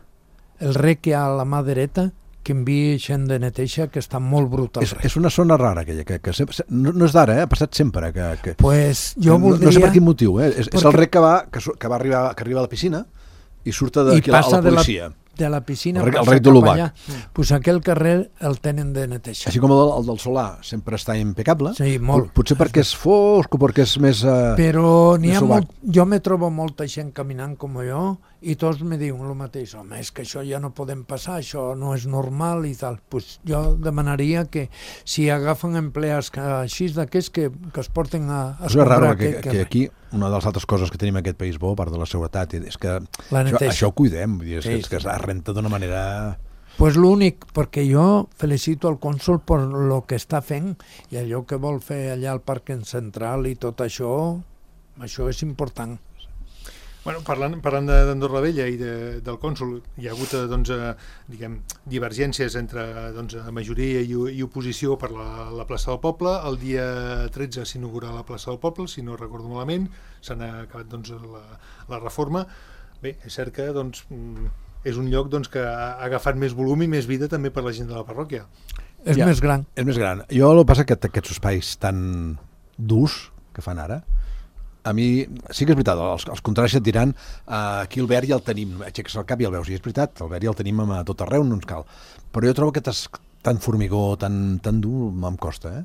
[SPEAKER 3] el rec que hi ha a la mà dreta, que enviï gent de neteja, que està molt brut al rec.
[SPEAKER 4] És una zona rara aquella, que no és d'ara, ha passat sempre.
[SPEAKER 3] Pues jo voldria...
[SPEAKER 4] No sé per quin motiu, és el rec que arriba a la piscina i surt d'aquí a la policia.
[SPEAKER 3] De la piscina
[SPEAKER 4] el rec de l'Ubac.
[SPEAKER 3] Pues aquell carrer el tenen de neteja.
[SPEAKER 4] Així com el del Solà sempre està impecable.
[SPEAKER 3] Sí, molt.
[SPEAKER 4] Potser perquè és fosc o perquè és més...
[SPEAKER 3] Però n'hi ha molt... Jo me trobo molta gent caminant com jo i tots me diuen el mateix. Home, és que això ja no podem passar, això no és normal i tal. Pues jo demanaria que si agafen empleats així d'aquests que es porten a
[SPEAKER 4] escombrar aquest carrer. Que aquí una de les altres coses que tenim en aquest país bo, a part de la seguretat, és que això ho cuidem, és que es renta d'una manera...
[SPEAKER 3] Pues l'únic, perquè jo felicito el cònsol per lo que està fent i allò que vol fer allà al Parc Central i tot això és important.
[SPEAKER 2] Bueno, parlant d'Andorra la Vella i del cònsol, hi ha hagut divergències entre majoria i oposició per la plaça del Poble. El dia 13 s'inaugura la plaça del Poble, si no recordo malament, s'ha acabat la reforma. Bé, és cert que és un lloc que ha agafat més volum i més vida també per la gent de la parròquia.
[SPEAKER 3] És més gran.
[SPEAKER 4] És més gran. Jo el que passa que aquests espais tan durs que fan ara, a mi sí que és veritat, els contraris et diran aquí el verd ja el tenim, aixeques el cap i el veus, i és veritat, el verd ja el tenim a tot arreu, no ens cal. Però jo trobo que tan formigó, tan dur, em costa,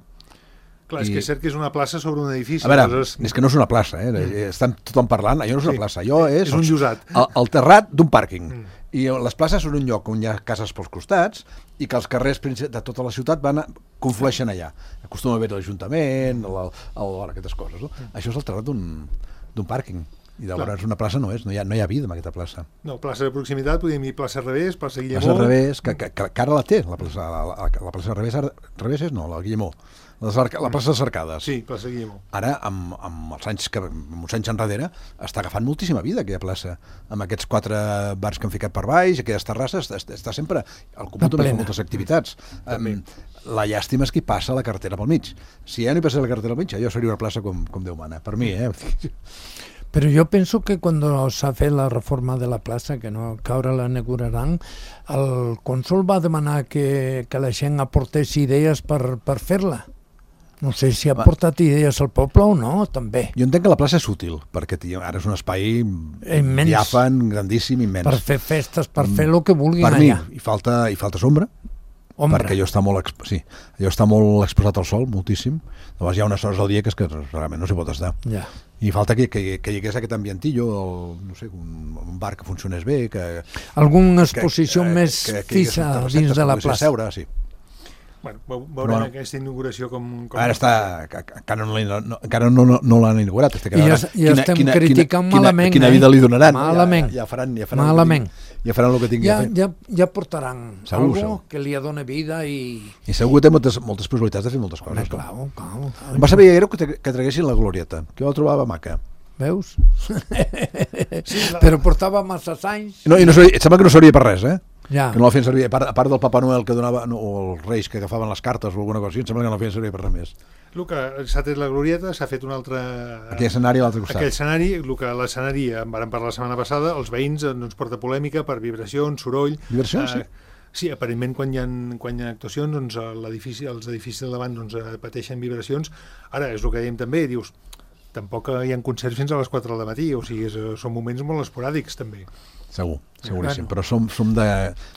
[SPEAKER 2] Clar, és que és cert que és una plaça sobre un edifici.
[SPEAKER 4] A veure, és que no és una plaça, estan tothom parlant, allò no és una plaça, allò és
[SPEAKER 2] un llosat.
[SPEAKER 4] El terrat d'un pàrquing. I les places són un lloc on hi ha cases pels costats i que els carrers de tota la ciutat conflueixen allà. Acostuma a haver l'Ajuntament, aquestes coses. No? Això és el terrat d'un pàrquing. I llavors una plaça no hi ha vida en aquesta plaça.
[SPEAKER 2] No, plaça de proximitat, podríem dir plaça Revés, plaça Guillemó...
[SPEAKER 4] Plaça Revés, que ara la té, la plaça Revés és no, la Guillemó. La plaça de les Arcades.
[SPEAKER 2] Sí, plaça Guillemó.
[SPEAKER 4] Ara, amb uns anys enrere, està agafant moltíssima vida aquella plaça, amb aquests 4 bars que han ficat per baix, aquelles terrasses, està sempre... El Comú també fa moltes activitats. La llàstima és que hi passa la carretera pel mig. Si ja no hi passa la carretera pel mig, allò seria una plaça com Déu mana. Per mi,
[SPEAKER 3] Però jo penso que quan s'ha fet la reforma de la plaça, que no caure la inauguraran, el cònsol va demanar que la gent aportés idees per fer-la. No sé si ha portat idees al poble o no, també.
[SPEAKER 4] Jo entenc que la plaça és útil, perquè ara és un espai diàfan, grandíssim, immens.
[SPEAKER 3] Per fer festes, per fer el que vulguin allà.
[SPEAKER 4] Per mi, hi falta sombra, perquè allò està molt exposat al sol, moltíssim. Llavors hi ha unes hores al dia que realment no s'hi pot estar.
[SPEAKER 3] Ja.
[SPEAKER 4] I falta que hi hagués aquest ambientillo, un bar que funcionés bé,
[SPEAKER 3] alguna exposició més fixa dins de la plaça.
[SPEAKER 4] Seure, sí.
[SPEAKER 2] Bueno, veurem aquesta inauguració com...
[SPEAKER 4] Ara encara no l'han inaugurat.
[SPEAKER 3] I estem criticant malament.
[SPEAKER 4] Quina vida li donaran.
[SPEAKER 3] Malament.
[SPEAKER 4] Ja faran el que tinguin a fer.
[SPEAKER 3] Ja portaran algo que li dona vida i...
[SPEAKER 4] I segur que té moltes possibilitats de fer moltes coses.
[SPEAKER 3] Clar.
[SPEAKER 4] Em va saber que traguessin la glorieta, que jo la trobava maca.
[SPEAKER 3] Veus? Però portava massa anys.
[SPEAKER 4] No, em sembla que no servia per res,
[SPEAKER 3] Ja.
[SPEAKER 4] Que no la feien servir, a part del Papa Noel que donava, o els reis que agafaven les cartes o alguna cosa així, em sembla que no la feien servir per res més.
[SPEAKER 2] El que s'ha tret la glorieta, s'ha fet un altre...
[SPEAKER 4] Aquell escenari a l'altre costat.
[SPEAKER 2] Aquell escenari, l'escenari, en vam parlar la setmana passada, els veïns ens porta polèmica per vibracions, soroll...
[SPEAKER 4] Vibracions, sí?
[SPEAKER 2] Sí, aparentment quan hi ha actuacions, els edificis de davant pateixen vibracions. Ara, és el que dèiem també, dius, tampoc hi ha concerts fins a les 4 del matí, o sigui, són moments molt esporàdics també.
[SPEAKER 4] Seguríssim, però som de...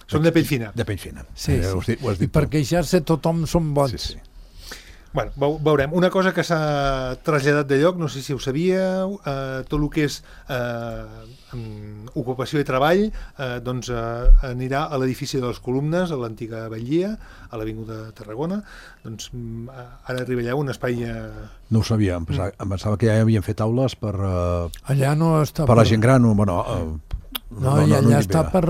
[SPEAKER 2] Som de pell fina.
[SPEAKER 4] De pell fina.
[SPEAKER 3] Sí. I per queixar-se tothom som bons.
[SPEAKER 4] Sí.
[SPEAKER 2] Bueno, veurem. Una cosa que s'ha traslladat de lloc, no sé si ho sabíeu, tot el que és ocupació i treball anirà a l'edifici de les Columnes, a l'antiga Batllia, a l'Avinguda Tarragona. Doncs ara arriba allà un espai...
[SPEAKER 4] No ho sabia, em pensava que ja havien fet aules per...
[SPEAKER 3] Allà no està...
[SPEAKER 4] Per la gent gran,
[SPEAKER 3] allà està per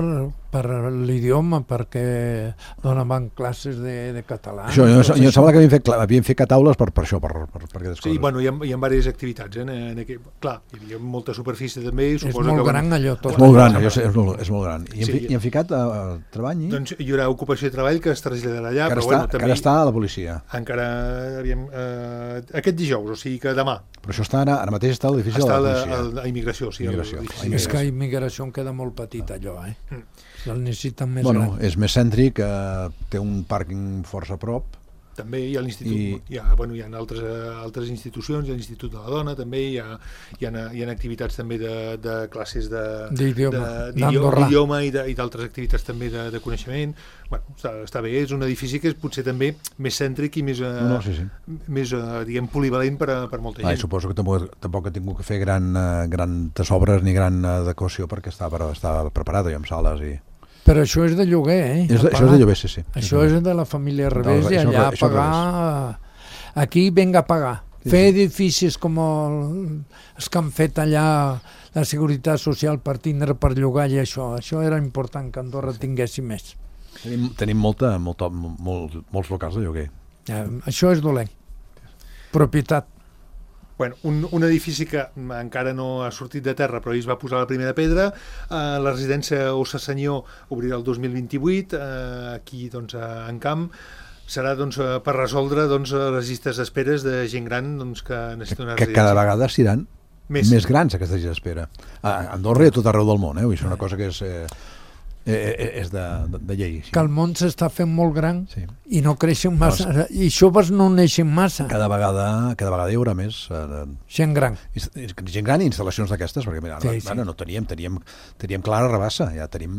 [SPEAKER 3] l'idioma, perquè donaven classes de català.
[SPEAKER 4] Això, jo em sembla que havien fet taules per això, per aquestes coses.
[SPEAKER 2] Sí, bueno, hi ha diverses activitats. Clar, hi havia molta superfície també.
[SPEAKER 3] És molt gran allò tot.
[SPEAKER 4] És molt gran, és molt gran. I han ficat treball?
[SPEAKER 2] Doncs hi haurà ocupació i treball que es traslladarà allà.
[SPEAKER 4] Que ara està a la policia.
[SPEAKER 2] Encara, aquest dijous, o sigui que demà.
[SPEAKER 4] Però això està ara mateix està a l'edifici de la policia.
[SPEAKER 2] Està a immigració, sí.
[SPEAKER 3] És que a immigració queda molt petit allò, el necessiten més gran.
[SPEAKER 4] És més cèntric, té un pàrquing força a prop.
[SPEAKER 2] També hi ha l'institut, hi ha altres institucions, hi ha l'Institut de la Dona, també hi ha activitats també de classes d'idioma i d'altres activitats també de coneixement. Bueno, està bé, és un edifici que és potser també més cèntric i més diguem, polivalent per molta gent.
[SPEAKER 4] Suposo que tampoc ha tingut que fer grans obres ni gran adequació perquè està preparada i amb sales i...
[SPEAKER 3] Però això és de lloguer,
[SPEAKER 4] Això és de lloguer, sí.
[SPEAKER 3] Això és de la família Revés i allà pagar... Aquí venga a pagar. Fer edificis com els que han fet allà la Seguretat Social per tindre per llogar i això era important que Andorra tinguessi més.
[SPEAKER 4] Tenim molts locals de lloguer.
[SPEAKER 3] Això és dolent. Propietat.
[SPEAKER 2] Bueno, un edifici que encara no ha sortit de terra, però ahir es va posar la primera pedra. La residència Ossa Senyor obrirà el 2028, aquí doncs, a Encamp. Serà doncs, per resoldre doncs, les llistes d'esperes de gent gran doncs, que necessita una residència.
[SPEAKER 4] Que cada vegada seran més grans, aquestes llistes d'espera. A Andorra i a tot arreu del món, i és una cosa que és de llei. Sí.
[SPEAKER 3] Que el món s'està fent molt gran i no creixen massa, i joves no neixen massa.
[SPEAKER 4] Cada vegada hi haurà més
[SPEAKER 3] gent gran.
[SPEAKER 4] Gent gran i instal·lacions d'aquestes, perquè mira, no teníem Clara Rabassa, ja tenim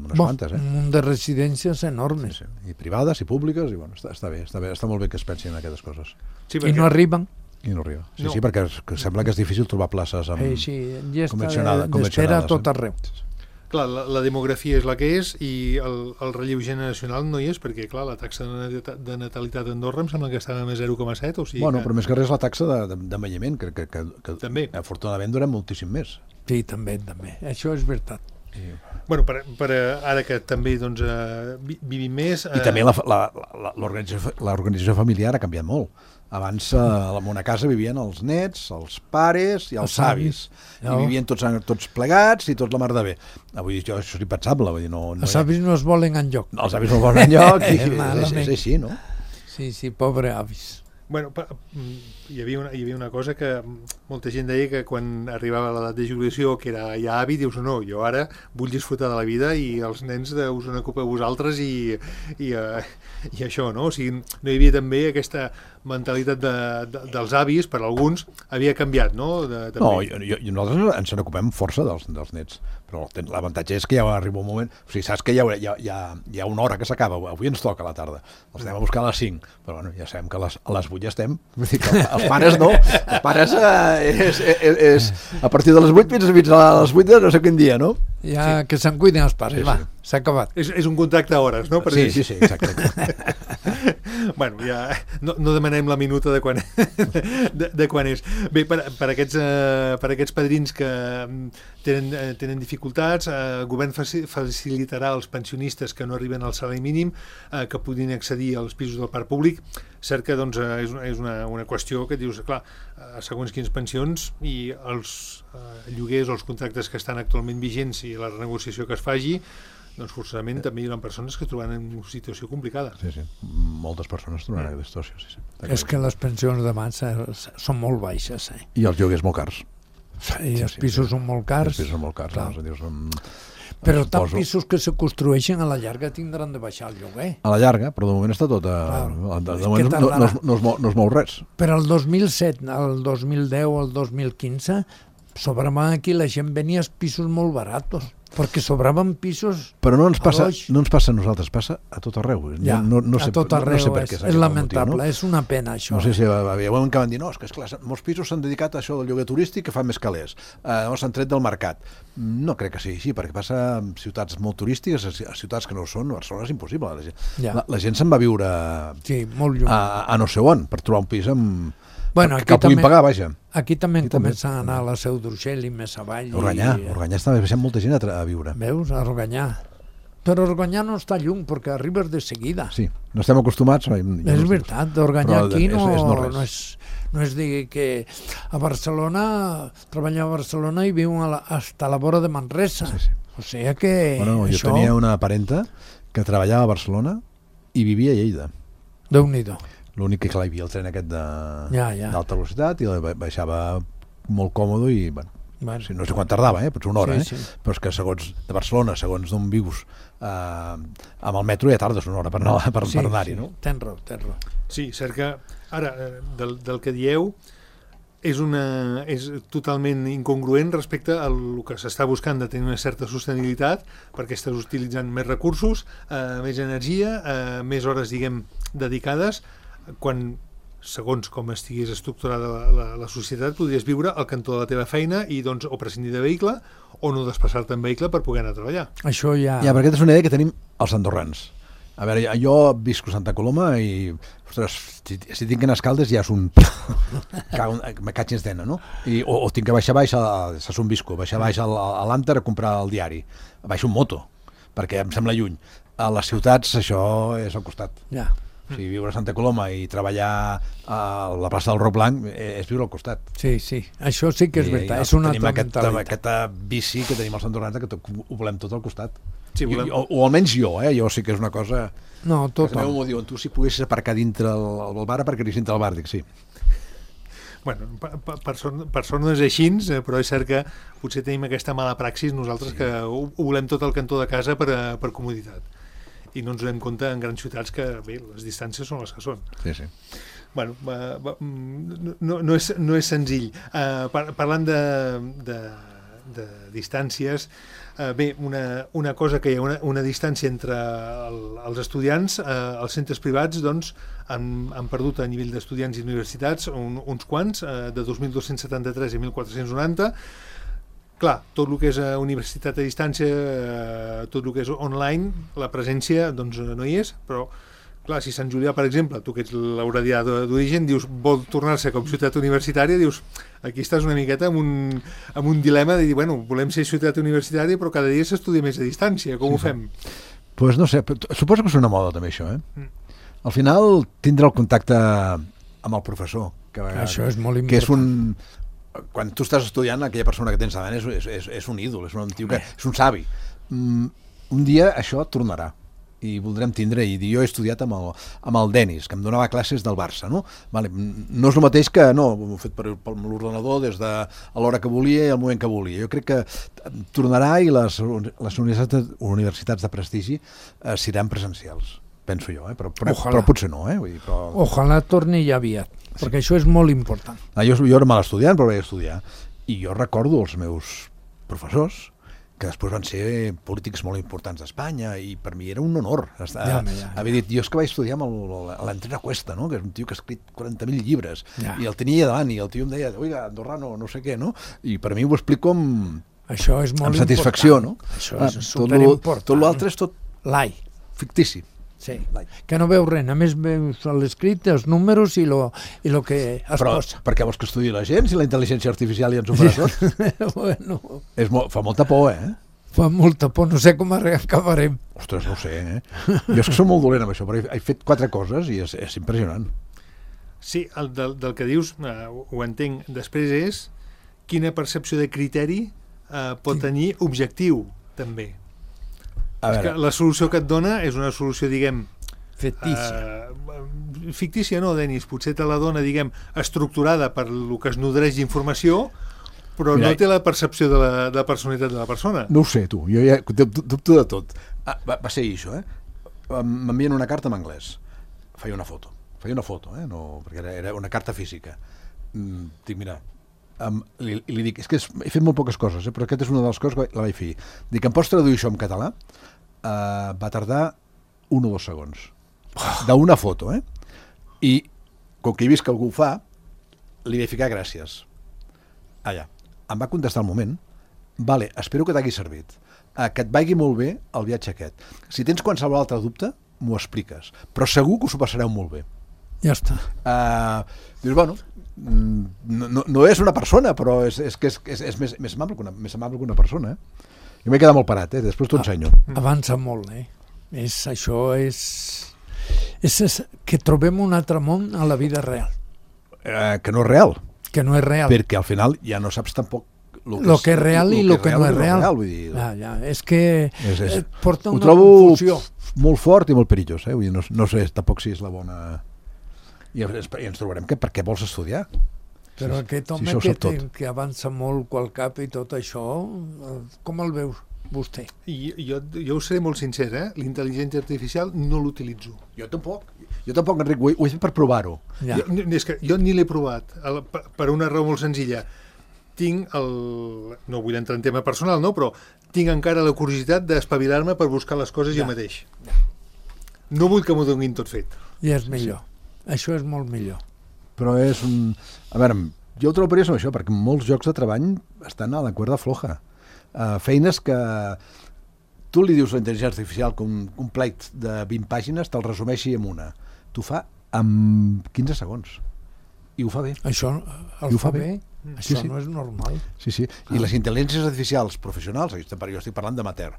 [SPEAKER 4] unes quantes.
[SPEAKER 3] Un munt de residències enormes.
[SPEAKER 4] I privades i públiques, i bueno, està bé, està molt bé que es pensin en aquestes coses.
[SPEAKER 3] I no arriben.
[SPEAKER 4] I no arriba. Sí, perquè sembla que és difícil trobar places
[SPEAKER 3] convencionades. D'espera a tot arreu.
[SPEAKER 2] Clar, la demografia és la que és i el relleu generacional no hi és, perquè clar, la taxa de natalitat d'Andorra em sembla que estava més 0,7, o sigui
[SPEAKER 4] però més que res la taxa d'envelliment, que
[SPEAKER 2] també.
[SPEAKER 4] Afortunadament durem moltíssim més.
[SPEAKER 3] Sí, també. Això és veritat.
[SPEAKER 2] Bueno, per ara que també doncs, vivim més...
[SPEAKER 4] I també l'organització familiar ha canviat molt. Abans en una casa vivien els nets, els pares i els avis. I vivien tots plegats i tots la mar de bé. Avui això és impensable.
[SPEAKER 3] Els avis no es volen enlloc.
[SPEAKER 4] Els avis no es volen enlloc i és així, no?
[SPEAKER 3] Sí, pobre avis.
[SPEAKER 2] Bueno, hi havia una cosa que molta gent deia que quan arribava a l'edat de jubilació, que era ja avi, dius no, jo ara vull disfrutar de la vida i els nens us en ocupeu vosaltres i això, no? O sigui, no hi havia també aquesta mentalitat dels avis, per alguns, havia canviat, no?
[SPEAKER 4] Nosaltres ens n'ocupem força dels nets, però l'avantatge és que ja arriba un moment, o sigui, saps que hi ha una hora que s'acaba, avui ens toca a la tarda, els anem a buscar a les 5, però bueno, ja sabem que a les 8 ja estem, vull dir que els pares no, els pares és a partir de les 8 fins a les 8 de no sé quin dia, no?
[SPEAKER 3] Ja que se'n cuiden els pares, s'ha acabat.
[SPEAKER 2] És un contracte a hores, no?
[SPEAKER 4] Sí, exacte.
[SPEAKER 2] Bueno, ja no demanem la minuta de quan és. Bé, per aquests padrins que tenen dificultats, el govern facilitarà als pensionistes que no arriben al salari mínim que puguin accedir als pisos del parc públic. Cert que doncs, és una qüestió que dius, clar, segons quines pensions i els lloguers o els contractes que estan actualment vigents i la renegociació que es faci, doncs forçosament també hi ha persones que es trobaran en una situació complicada.
[SPEAKER 4] Sí, moltes persones es trobaran en aquesta situació. Sí.
[SPEAKER 3] És que les pensions de mans són molt baixes.
[SPEAKER 4] I els lloguers molt cars.
[SPEAKER 3] I els pisos són molt cars.
[SPEAKER 4] Els pisos són molt cars.
[SPEAKER 3] Però tant pisos que se construeixen a la llarga tindran de baixar el lloguer.
[SPEAKER 4] A la llarga, però de moment està tot... De moment no es mou res.
[SPEAKER 3] Però el 2007, el 2010 o el 2015, sobraven aquí, la gent venia als pisos molt baratos, perquè sobraven pisos...
[SPEAKER 4] Però no ens passa a nosaltres, passa a tot arreu.
[SPEAKER 3] A tot arreu, és lamentable, és una pena això.
[SPEAKER 4] No sé si hi ha un que van dir, no, és que esclar, molts pisos s'han dedicat a això del lloguer turístic que fan més calés, s'han tret del mercat. No crec que sigui així, perquè passa a ciutats molt turístiques, a ciutats que no ho són, Barcelona és impossible. La gent se'n va viure a no sé on, per trobar un pis que el puguin pagar, vaja.
[SPEAKER 3] Aquí també comença a anar a la Seu d'Urgell i més avall.
[SPEAKER 4] Organyà està baixant molta gent a viure.
[SPEAKER 3] Veus, a Organyà. Però Organyà no està lluny, perquè arribes de seguida.
[SPEAKER 4] Sí, no estem acostumats.
[SPEAKER 3] És veritat, Organyà aquí no és dir que a Barcelona, treballar a Barcelona i viu hasta la vora de Manresa. O sigui que
[SPEAKER 4] jo tenia una parenta que treballava a Barcelona i vivia a Lleida.
[SPEAKER 3] Déu-n'hi-do.
[SPEAKER 4] L'únic que hi havia el tren aquest d'alta velocitat i baixava molt còmode i no sé quan tardava, potser una hora, però és que segons de Barcelona, segons d'on vius amb el metro ja tardes una hora per anar-hi, no?
[SPEAKER 3] Tens raó.
[SPEAKER 2] Sí, cert que ara del que dieu és totalment incongruent respecte al que s'està buscant de tenir una certa sostenibilitat, perquè estàs utilitzant més recursos, més energia, més hores, diguem, dedicades, quan, segons com estigués estructurada la societat, podries viure al cantó de la teva feina i doncs o prescindir de vehicle o no desplaçar-te en vehicle per poder anar a treballar.
[SPEAKER 3] Això ja...
[SPEAKER 4] Ja, perquè aquesta és una idea que tenim els andorrans. A veure, jo visco a Santa Coloma i, ostres, si tinc en Escaldes ja és un... me catxes d'ena, no? O tinc que baixar baix a Son Visco, baixar baix a l'Ànter a comprar el diari. Baixo un moto, perquè em sembla lluny. A les ciutats això és al costat.
[SPEAKER 3] Ja.
[SPEAKER 4] O sigui, viure a Santa Coloma i treballar a la plaça del Roc Blanc és viure al costat.
[SPEAKER 3] Sí, això sí que és veritat, és una altra mentalitat.
[SPEAKER 4] Aquesta bici que tenim als andorrans, que ho volem tot al costat.
[SPEAKER 2] Sí,
[SPEAKER 4] o almenys jo sí que és una cosa...
[SPEAKER 3] No, tothom.
[SPEAKER 4] Que m'ho diuen, tu si poguessis aparcar dintre el bar, aparcaries dintre el bar, dic sí.
[SPEAKER 2] Bueno, per sort no és així, però és cert que potser tenim aquesta mala praxis nosaltres que ho volem tot al cantó de casa per comoditat. I no ens donem compte en grans ciutats que, bé, les distàncies són les que són.
[SPEAKER 4] Sí.
[SPEAKER 2] Bueno, no és senzill. Parlant de distàncies, bé, una cosa que hi ha una distància entre els estudiants, els centres privats, doncs, han perdut a nivell d'estudiants i universitats uns quants, de 2.273 i 1.490. Clar, tot el que és universitat a distància, tot el que és online, la presència doncs, no hi és, però clar, si Sant Julià, per exemple, tu que ets l'auradià d'origen, dius, vol tornar-se com ciutat universitària, dius, aquí estàs una miqueta amb un dilema de dir, bueno, volem ser ciutat universitària, però cada dia s'estudia més a distància, com ho fem?
[SPEAKER 4] Pues no sé, suposo que és una moda també això, Al final tindrà el contacte amb el professor,
[SPEAKER 3] això és molt important.
[SPEAKER 4] Que és quan tu estàs estudiant, aquella persona que tens davant és un ídol, és un tio que és un savi. Un dia això tornarà i voldrem tindre, i jo he estudiat amb el Denis, que em donava classes del Barça, no? Vale, no és el mateix que, no, ho he fet per l'ordenador des de l'hora que volia i el moment que volia. Jo crec que tornarà i les universitats de prestigi seran presencials, penso jo, però potser no, vull dir, però...
[SPEAKER 3] Ojalà torni ja aviat, perquè això és molt important.
[SPEAKER 4] Jo era mal estudiant, però vaig estudiar, i jo recordo els meus professors, que després van ser polítics molt importants d'Espanya, i per mi era un honor haver dit, jo és que vaig estudiar amb l'Entrena Cuesta, no? Que és un tio que ha escrit 40.000 llibres, i el tenia davant, i el tio em deia, oiga, andorrano, no sé què, no? I per mi ho explico amb satisfacció, no?
[SPEAKER 3] Això és superimportant.
[SPEAKER 4] Tot l'altre és tot fictici.
[SPEAKER 3] Sí, que no veus res, només veus l'escrit, els números i lo que es posa.
[SPEAKER 4] Per què vols que estudiï la gent si la intel·ligència artificial ja ens ho farà tot?
[SPEAKER 3] Bueno...
[SPEAKER 4] Fa molta por,
[SPEAKER 3] Fa molta por, no sé com acabarem.
[SPEAKER 4] Ostres, no ho sé, Jo és que som molt dolent amb això, però he fet 4 coses i és impressionant.
[SPEAKER 2] Sí, del que dius ho entenc. Després és quina percepció de criteri pot tenir objectiu, també. És que la solució que et dona és una solució, diguem...
[SPEAKER 3] Fictícia.
[SPEAKER 2] Fictícia no, Denis, potser te la dona, diguem, estructurada per el que es nodreix d'informació, però no té la percepció de la personalitat de la persona.
[SPEAKER 4] No ho sé, tu, jo ja dubto de tot. Va ser això, M'envien una carta en anglès. Feia una foto, no, perquè era una carta física. Dic, mira... li dic, és que he fet molt poques coses, però aquesta és una de les coses que la vaig fer. Dic, em pots traduir això en català? Va tardar 1 o 2 segons. D'una foto, I, com que he vist que algú ho fa, li vaig ficar gràcies. Allà. Em va contestar al moment. Vale, espero que t'hagi servit. Que et vagi molt bé el viatge aquest. Si tens qualsevol altre dubte, m'ho expliques. Però segur que us ho passareu molt bé.
[SPEAKER 3] Ja està.
[SPEAKER 4] Dius, bueno... No és una persona, però és més amable que una persona, Jo m'he quedat molt parat, després t'ho ensenyo.
[SPEAKER 3] Avança molt, Això és que trobem un altre món a la vida real.
[SPEAKER 4] Que no és real.
[SPEAKER 3] Que no és real.
[SPEAKER 4] Perquè al final ja no saps tampoc
[SPEAKER 3] lo que és real i lo que no és real. És que porta una confusió.
[SPEAKER 4] Ho trobo molt fort i molt perillós, Vull dir, no sé tampoc si és la bona... I ens trobarem que per què vols estudiar?
[SPEAKER 3] Però aquest home que avança molt qual cap i tot això, com el veus vostè?
[SPEAKER 2] Jo us seré molt sincer, l'intel·ligència artificial no l'utilitzo.
[SPEAKER 4] Jo tampoc, Enric, ho he fet per provar-ho.
[SPEAKER 2] És que jo ni l'he provat, per una raó molt senzilla. Tinc no vull entrar en tema personal, no, però tinc encara la curiositat d'espavilar-me per buscar les coses jo mateix. No vull que m'ho donin tot fet.
[SPEAKER 3] I és millor. Això és molt millor.
[SPEAKER 4] Però és un... A veure, jo ho trobo perillós amb això, perquè molts llocs de treball estan a la cuerda floja. Feines que tu li dius a la intel·ligència artificial que un pleit de 20 pàgines te'l resumeixi en una. T'ho fa en 15 segons. I ho fa bé.
[SPEAKER 3] Això el fa bé? Això no és normal.
[SPEAKER 4] Sí. I les intel·ligències artificials professionals, jo estic parlant d'amateur,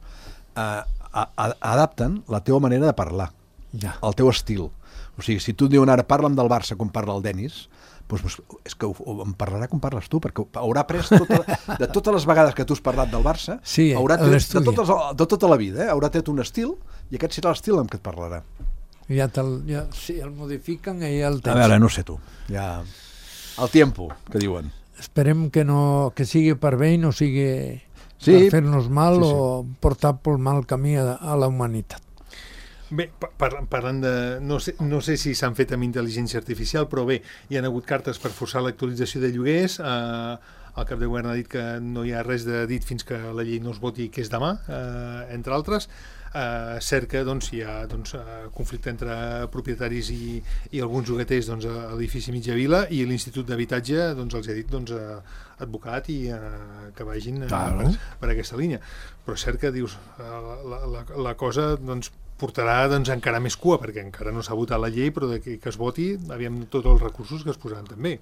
[SPEAKER 4] adapten la teva manera de parlar, el teu estil. O sigui, si tu et diuen ara parla'm del Barça com parla el Denis, doncs és que em parlarà com parles tu, perquè haurà après de totes les vegades que tu has parlat del Barça, haurà de tota la vida, haurà tret un estil, i aquest serà l'estil amb què et parlarà.
[SPEAKER 3] Si el modifiquen, ja el tens.
[SPEAKER 4] A veure, no sé tu, ja... El tiempo, que diuen.
[SPEAKER 3] Esperem que sigui per bé i no sigui per fer-nos mal o portar pel mal camí a la humanitat.
[SPEAKER 2] Bé, parlant de... No sé si s'han fet amb intel·ligència artificial, però bé, hi ha hagut cartes per forçar l'actualització de lloguers. El cap de govern ha dit que no hi ha res de dit fins que la llei no es voti, que és demà, entre altres. Cert que hi ha conflicte entre propietaris i alguns llogaters a l'edifici Mitjavila, i l'Institut d'Habitatge els ha dit advocat i que vagin per aquesta línia. Però és cert que dius la cosa portarà encara més cua, perquè encara no s'ha votat la llei, però que es voti, aviam tots els recursos que es posaran també.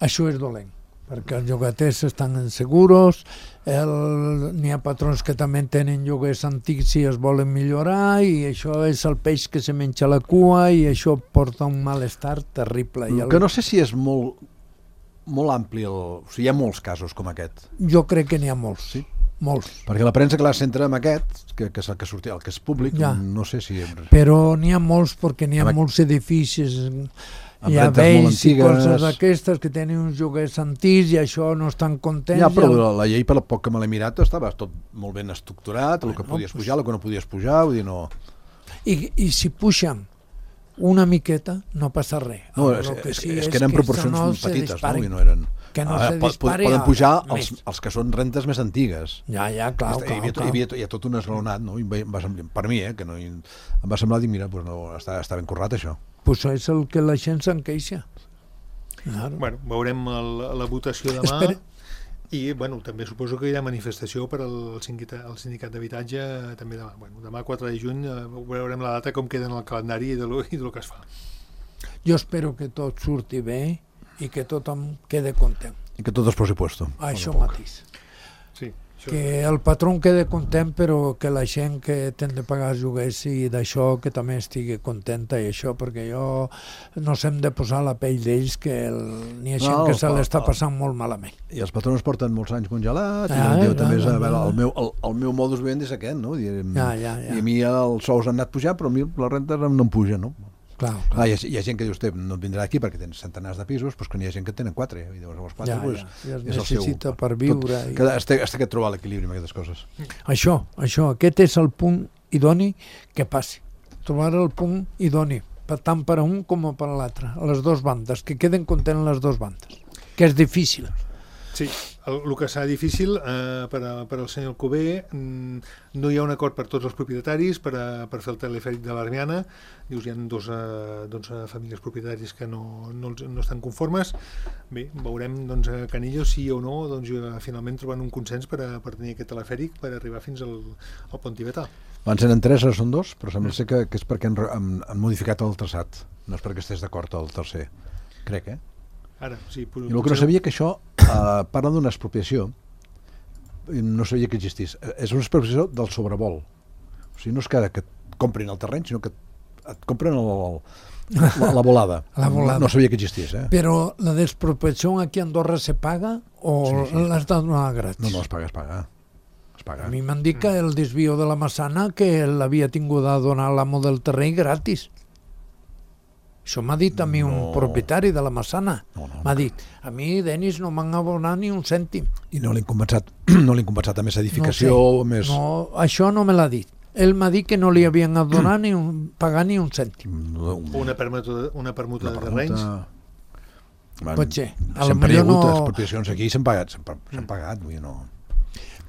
[SPEAKER 3] Això és dolent, perquè els llogaters estan inseguros, n'hi ha patrons que també tenen lloguers antics i es volen millorar, i això és el peix que se menja la cua, i això porta un malestar terrible.
[SPEAKER 4] Que no sé si és molt ampli, o sigui, hi ha molts casos com aquest.
[SPEAKER 3] Jo crec que n'hi ha molts,
[SPEAKER 4] sí.
[SPEAKER 3] Molts.
[SPEAKER 4] Perquè la premsa que la centra amb aquest, que és el que sortia, el que és públic, no sé si...
[SPEAKER 3] Però n'hi ha molts, perquè n'hi ha molts edificis, hi ha vells i coses d'aquestes que tenen uns lloguers antics i això no estan contents.
[SPEAKER 4] Ja, però la llei, per poc que me l'he mirat, estava tot molt ben estructurat, el que podies pujar, el que no podies pujar, vull dir, no...
[SPEAKER 3] I si pugen una miqueta, no passa res.
[SPEAKER 4] No, és que eren proporcions petites, no? I no eren...
[SPEAKER 3] Que no se dispari
[SPEAKER 4] poden pujar els que són rentes més antigues.
[SPEAKER 3] Ja, clar.
[SPEAKER 4] Hi havia tot un esglaonat, no? Per mi, que no, em va semblar dir, mira, està ben currat això.
[SPEAKER 3] Pues és el que la gent se'n queixa.
[SPEAKER 2] Bueno, veurem la votació demà. I també suposo que hi ha manifestació per al sindicat d'habitatge també demà. Demà 4 de juny veurem la data, com queda en el calendari i del que es fa.
[SPEAKER 3] Jo espero que tot surti bé i que tothom quede content.
[SPEAKER 4] I que tot es posi puesto.
[SPEAKER 3] Això mateix.
[SPEAKER 2] Sí.
[SPEAKER 3] Que el patró quede content, però que la gent que té de pagar els lloguers i d'això que també estigui contenta, i això, perquè nos hem de posar la pell d'ells, que n'hi ha gent que se l'està passant molt malament.
[SPEAKER 4] I els patrons porten molts anys congelats, i també el meu modus vivendi és aquest, no? I a mi els sous han anat pujant, però a mi les rentes no em pugen, no?
[SPEAKER 3] Clar.
[SPEAKER 4] Hi ha gent que diu, no et vindrà aquí perquè tens centenars de pisos, però que n'hi ha gent que tenen 4, i llavors els 4
[SPEAKER 3] es necessita per viure.
[SPEAKER 4] Has de trobar l'equilibri amb aquestes coses.
[SPEAKER 3] Això, aquest és el punt idoni que passi. Trobar el punt idoni, tant per a un com per a l'altre, a les dues bandes, que queden contents les dues bandes, que és difícil.
[SPEAKER 2] Sí, el que serà difícil per al senyor Alcover, no hi ha un acord per tots els propietaris per fer el telefèric de l'Armiana. Dius, hi ha 12 famílies propietaris que no estan conformes. Bé, veurem Canillo si o no finalment trobant un consens per tenir aquest telefèric per arribar fins al pont tibetà.
[SPEAKER 4] Abans eren 3, ara són 2, però sembla ser que és perquè han modificat el traçat, no és perquè estigués d'acord el tercer, crec,
[SPEAKER 2] Ara, sí,
[SPEAKER 4] i el que no sabia que això parla d'una expropiació, no sabia que existís, és una expropiació del sobrevol, o sigui, no és que et comprin el terreny, sinó que et compren la volada. No sabia que existís.
[SPEAKER 3] Però la expropiació aquí a Andorra se paga o l'has de donar gratis?
[SPEAKER 4] No, es paga.
[SPEAKER 3] A mi m'han dit que el desvio de la Massana que l'havia tingut a donar l'amo del terreny gratis. Això m'ha dit a mi un propietari de la Massana. M'ha dit, a mi, Denis, no m'han abonat ni un cèntim.
[SPEAKER 4] I no l'han compensat a més edificació?
[SPEAKER 3] No, això no me l'ha dit. Ell m'ha dit que no li havien donat pagar ni un cèntim.
[SPEAKER 2] Una permuta de terrenys?
[SPEAKER 3] Pot ser.
[SPEAKER 4] Sempre hi ha hagut expropiacions aquí i s'han pagat, vull dir, no...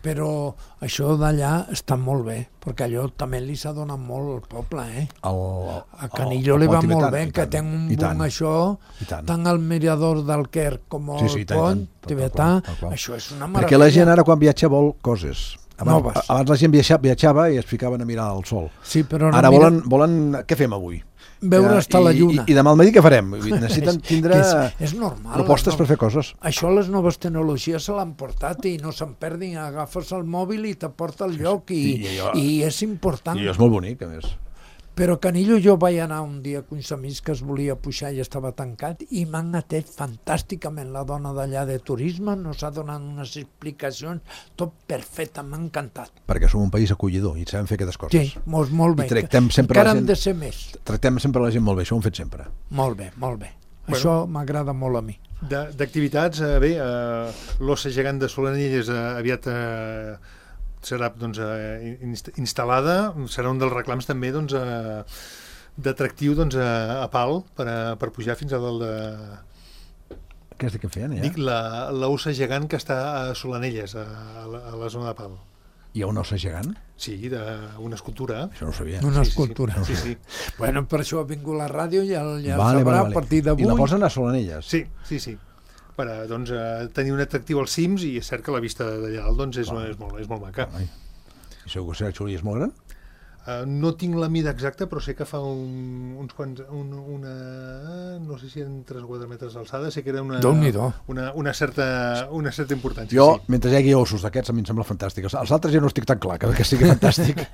[SPEAKER 3] Però això d'allà està molt bé, perquè allò també li s'ha donat molt al poble, a Canillo li va molt bé, que té un boom això, tant el mirador del Quer com el pont tibetà, això és una meravella.
[SPEAKER 4] Perquè la gent ara quan viatja vol coses. Abans la gent viatjava i es ficaven a mirar el sol.
[SPEAKER 3] Sí, però no
[SPEAKER 4] ara volen... Què fem avui?
[SPEAKER 3] Veure estar la lluna.
[SPEAKER 4] I demà al matí què farem? Necessiten tindre
[SPEAKER 3] és normal,
[SPEAKER 4] propostes per fer coses.
[SPEAKER 3] Això les noves tecnologies se l'han portat i no se'n perdin. Agafes el mòbil i t'aporta al lloc i és important.
[SPEAKER 4] I és molt bonic, a més.
[SPEAKER 3] Però Canillo, jo vaig anar un dia amb uns amics que es volia pujar i estava tancat i m'han atès fantàsticament la dona d'allà de turisme, nos ha donat unes explicacions, tot perfecte, m'ha encantat.
[SPEAKER 4] Perquè som un país acollidor i sabem fer aquestes coses.
[SPEAKER 3] Sí, molt bé.
[SPEAKER 4] I tractem sempre
[SPEAKER 3] encara hem de ser més.
[SPEAKER 4] Tractem sempre la gent molt bé, això ho hem fet sempre.
[SPEAKER 3] Molt bé. Això m'agrada molt a mi.
[SPEAKER 2] D'activitats, bé, l'Ossa Gegant de Solanelles aviat serà instal·lada, serà un dels reclams també d'atractiu a pal per pujar fins a dalt de...
[SPEAKER 4] Què és que feien, ja?
[SPEAKER 2] Dic, l'ossa gegant que està a Solanelles, a la zona de pal.
[SPEAKER 4] Hi ha una ossa gegant?
[SPEAKER 2] Sí, una escultura.
[SPEAKER 4] Això no ho sabia.
[SPEAKER 3] Una escultura.
[SPEAKER 2] Sí.
[SPEAKER 3] Bueno, per això ha vingut la ràdio, ja sabrà a partir d'avui.
[SPEAKER 4] I la posen a Solanelles?
[SPEAKER 2] Sí. Per tenir un atractiu als cims, i és cert que la vista d'allà dalt és molt maca.
[SPEAKER 4] I segur que Xuli és molt gran?
[SPEAKER 2] No tinc la mida exacta, però sé que fa uns quants... no sé si eren 3 o 4 metres d'alçada, sé que era una certa importància.
[SPEAKER 4] Jo, mentre hi hagi ossos d'aquests, a mi em sembla fantàstic. Els altres ja no estic tan clar, que sigui fantàstic.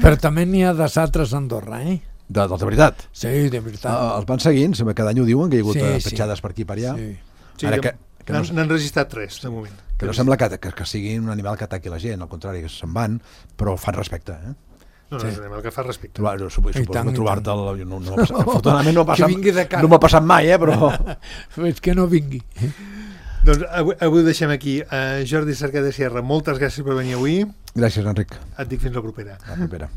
[SPEAKER 3] Però també n'hi ha d'altres a Andorra, eh?
[SPEAKER 4] De veritat?
[SPEAKER 3] Sí, de veritat.
[SPEAKER 4] Els van seguint, cada any ho diuen, que hi ha hagut petjades per aquí i per allà.
[SPEAKER 2] Sí, n'han registrat 3, de moment.
[SPEAKER 4] Que no sembla que sigui un animal que ataqui la gent, al contrari, que se'n van, però fan respecte, eh?
[SPEAKER 2] No, és un animal que fa respecte.
[SPEAKER 4] Suposo no trobar-te'l... Afortunadament no m'ha passat mai, però...
[SPEAKER 3] És que no vingui.
[SPEAKER 2] Doncs avui ho deixem aquí. Jordi Cercada Sierra, moltes gràcies per venir avui.
[SPEAKER 4] Gràcies, Enric.
[SPEAKER 2] Et dic fins la propera.
[SPEAKER 4] La propera.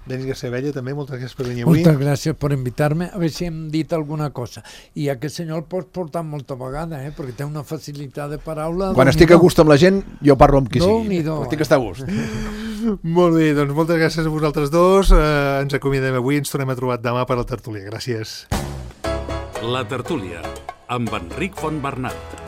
[SPEAKER 2] Denis García Abella, també, moltes gràcies per venir avui.
[SPEAKER 3] Moltes gràcies per invitar-me. A veure si hem dit alguna cosa. I aquest senyor el pots portar molta vegada, perquè té una facilitat de paraula.
[SPEAKER 4] Quan estic a gust amb la gent, jo parlo amb qui sigui. Estic a estar a gust.
[SPEAKER 2] Molt bé, doncs moltes gràcies a vosaltres dos. Ens acomiadem avui, ens tornem a trobar demà per la tertúlia. Gràcies.
[SPEAKER 1] La tertúlia, amb Enric Fontbernat.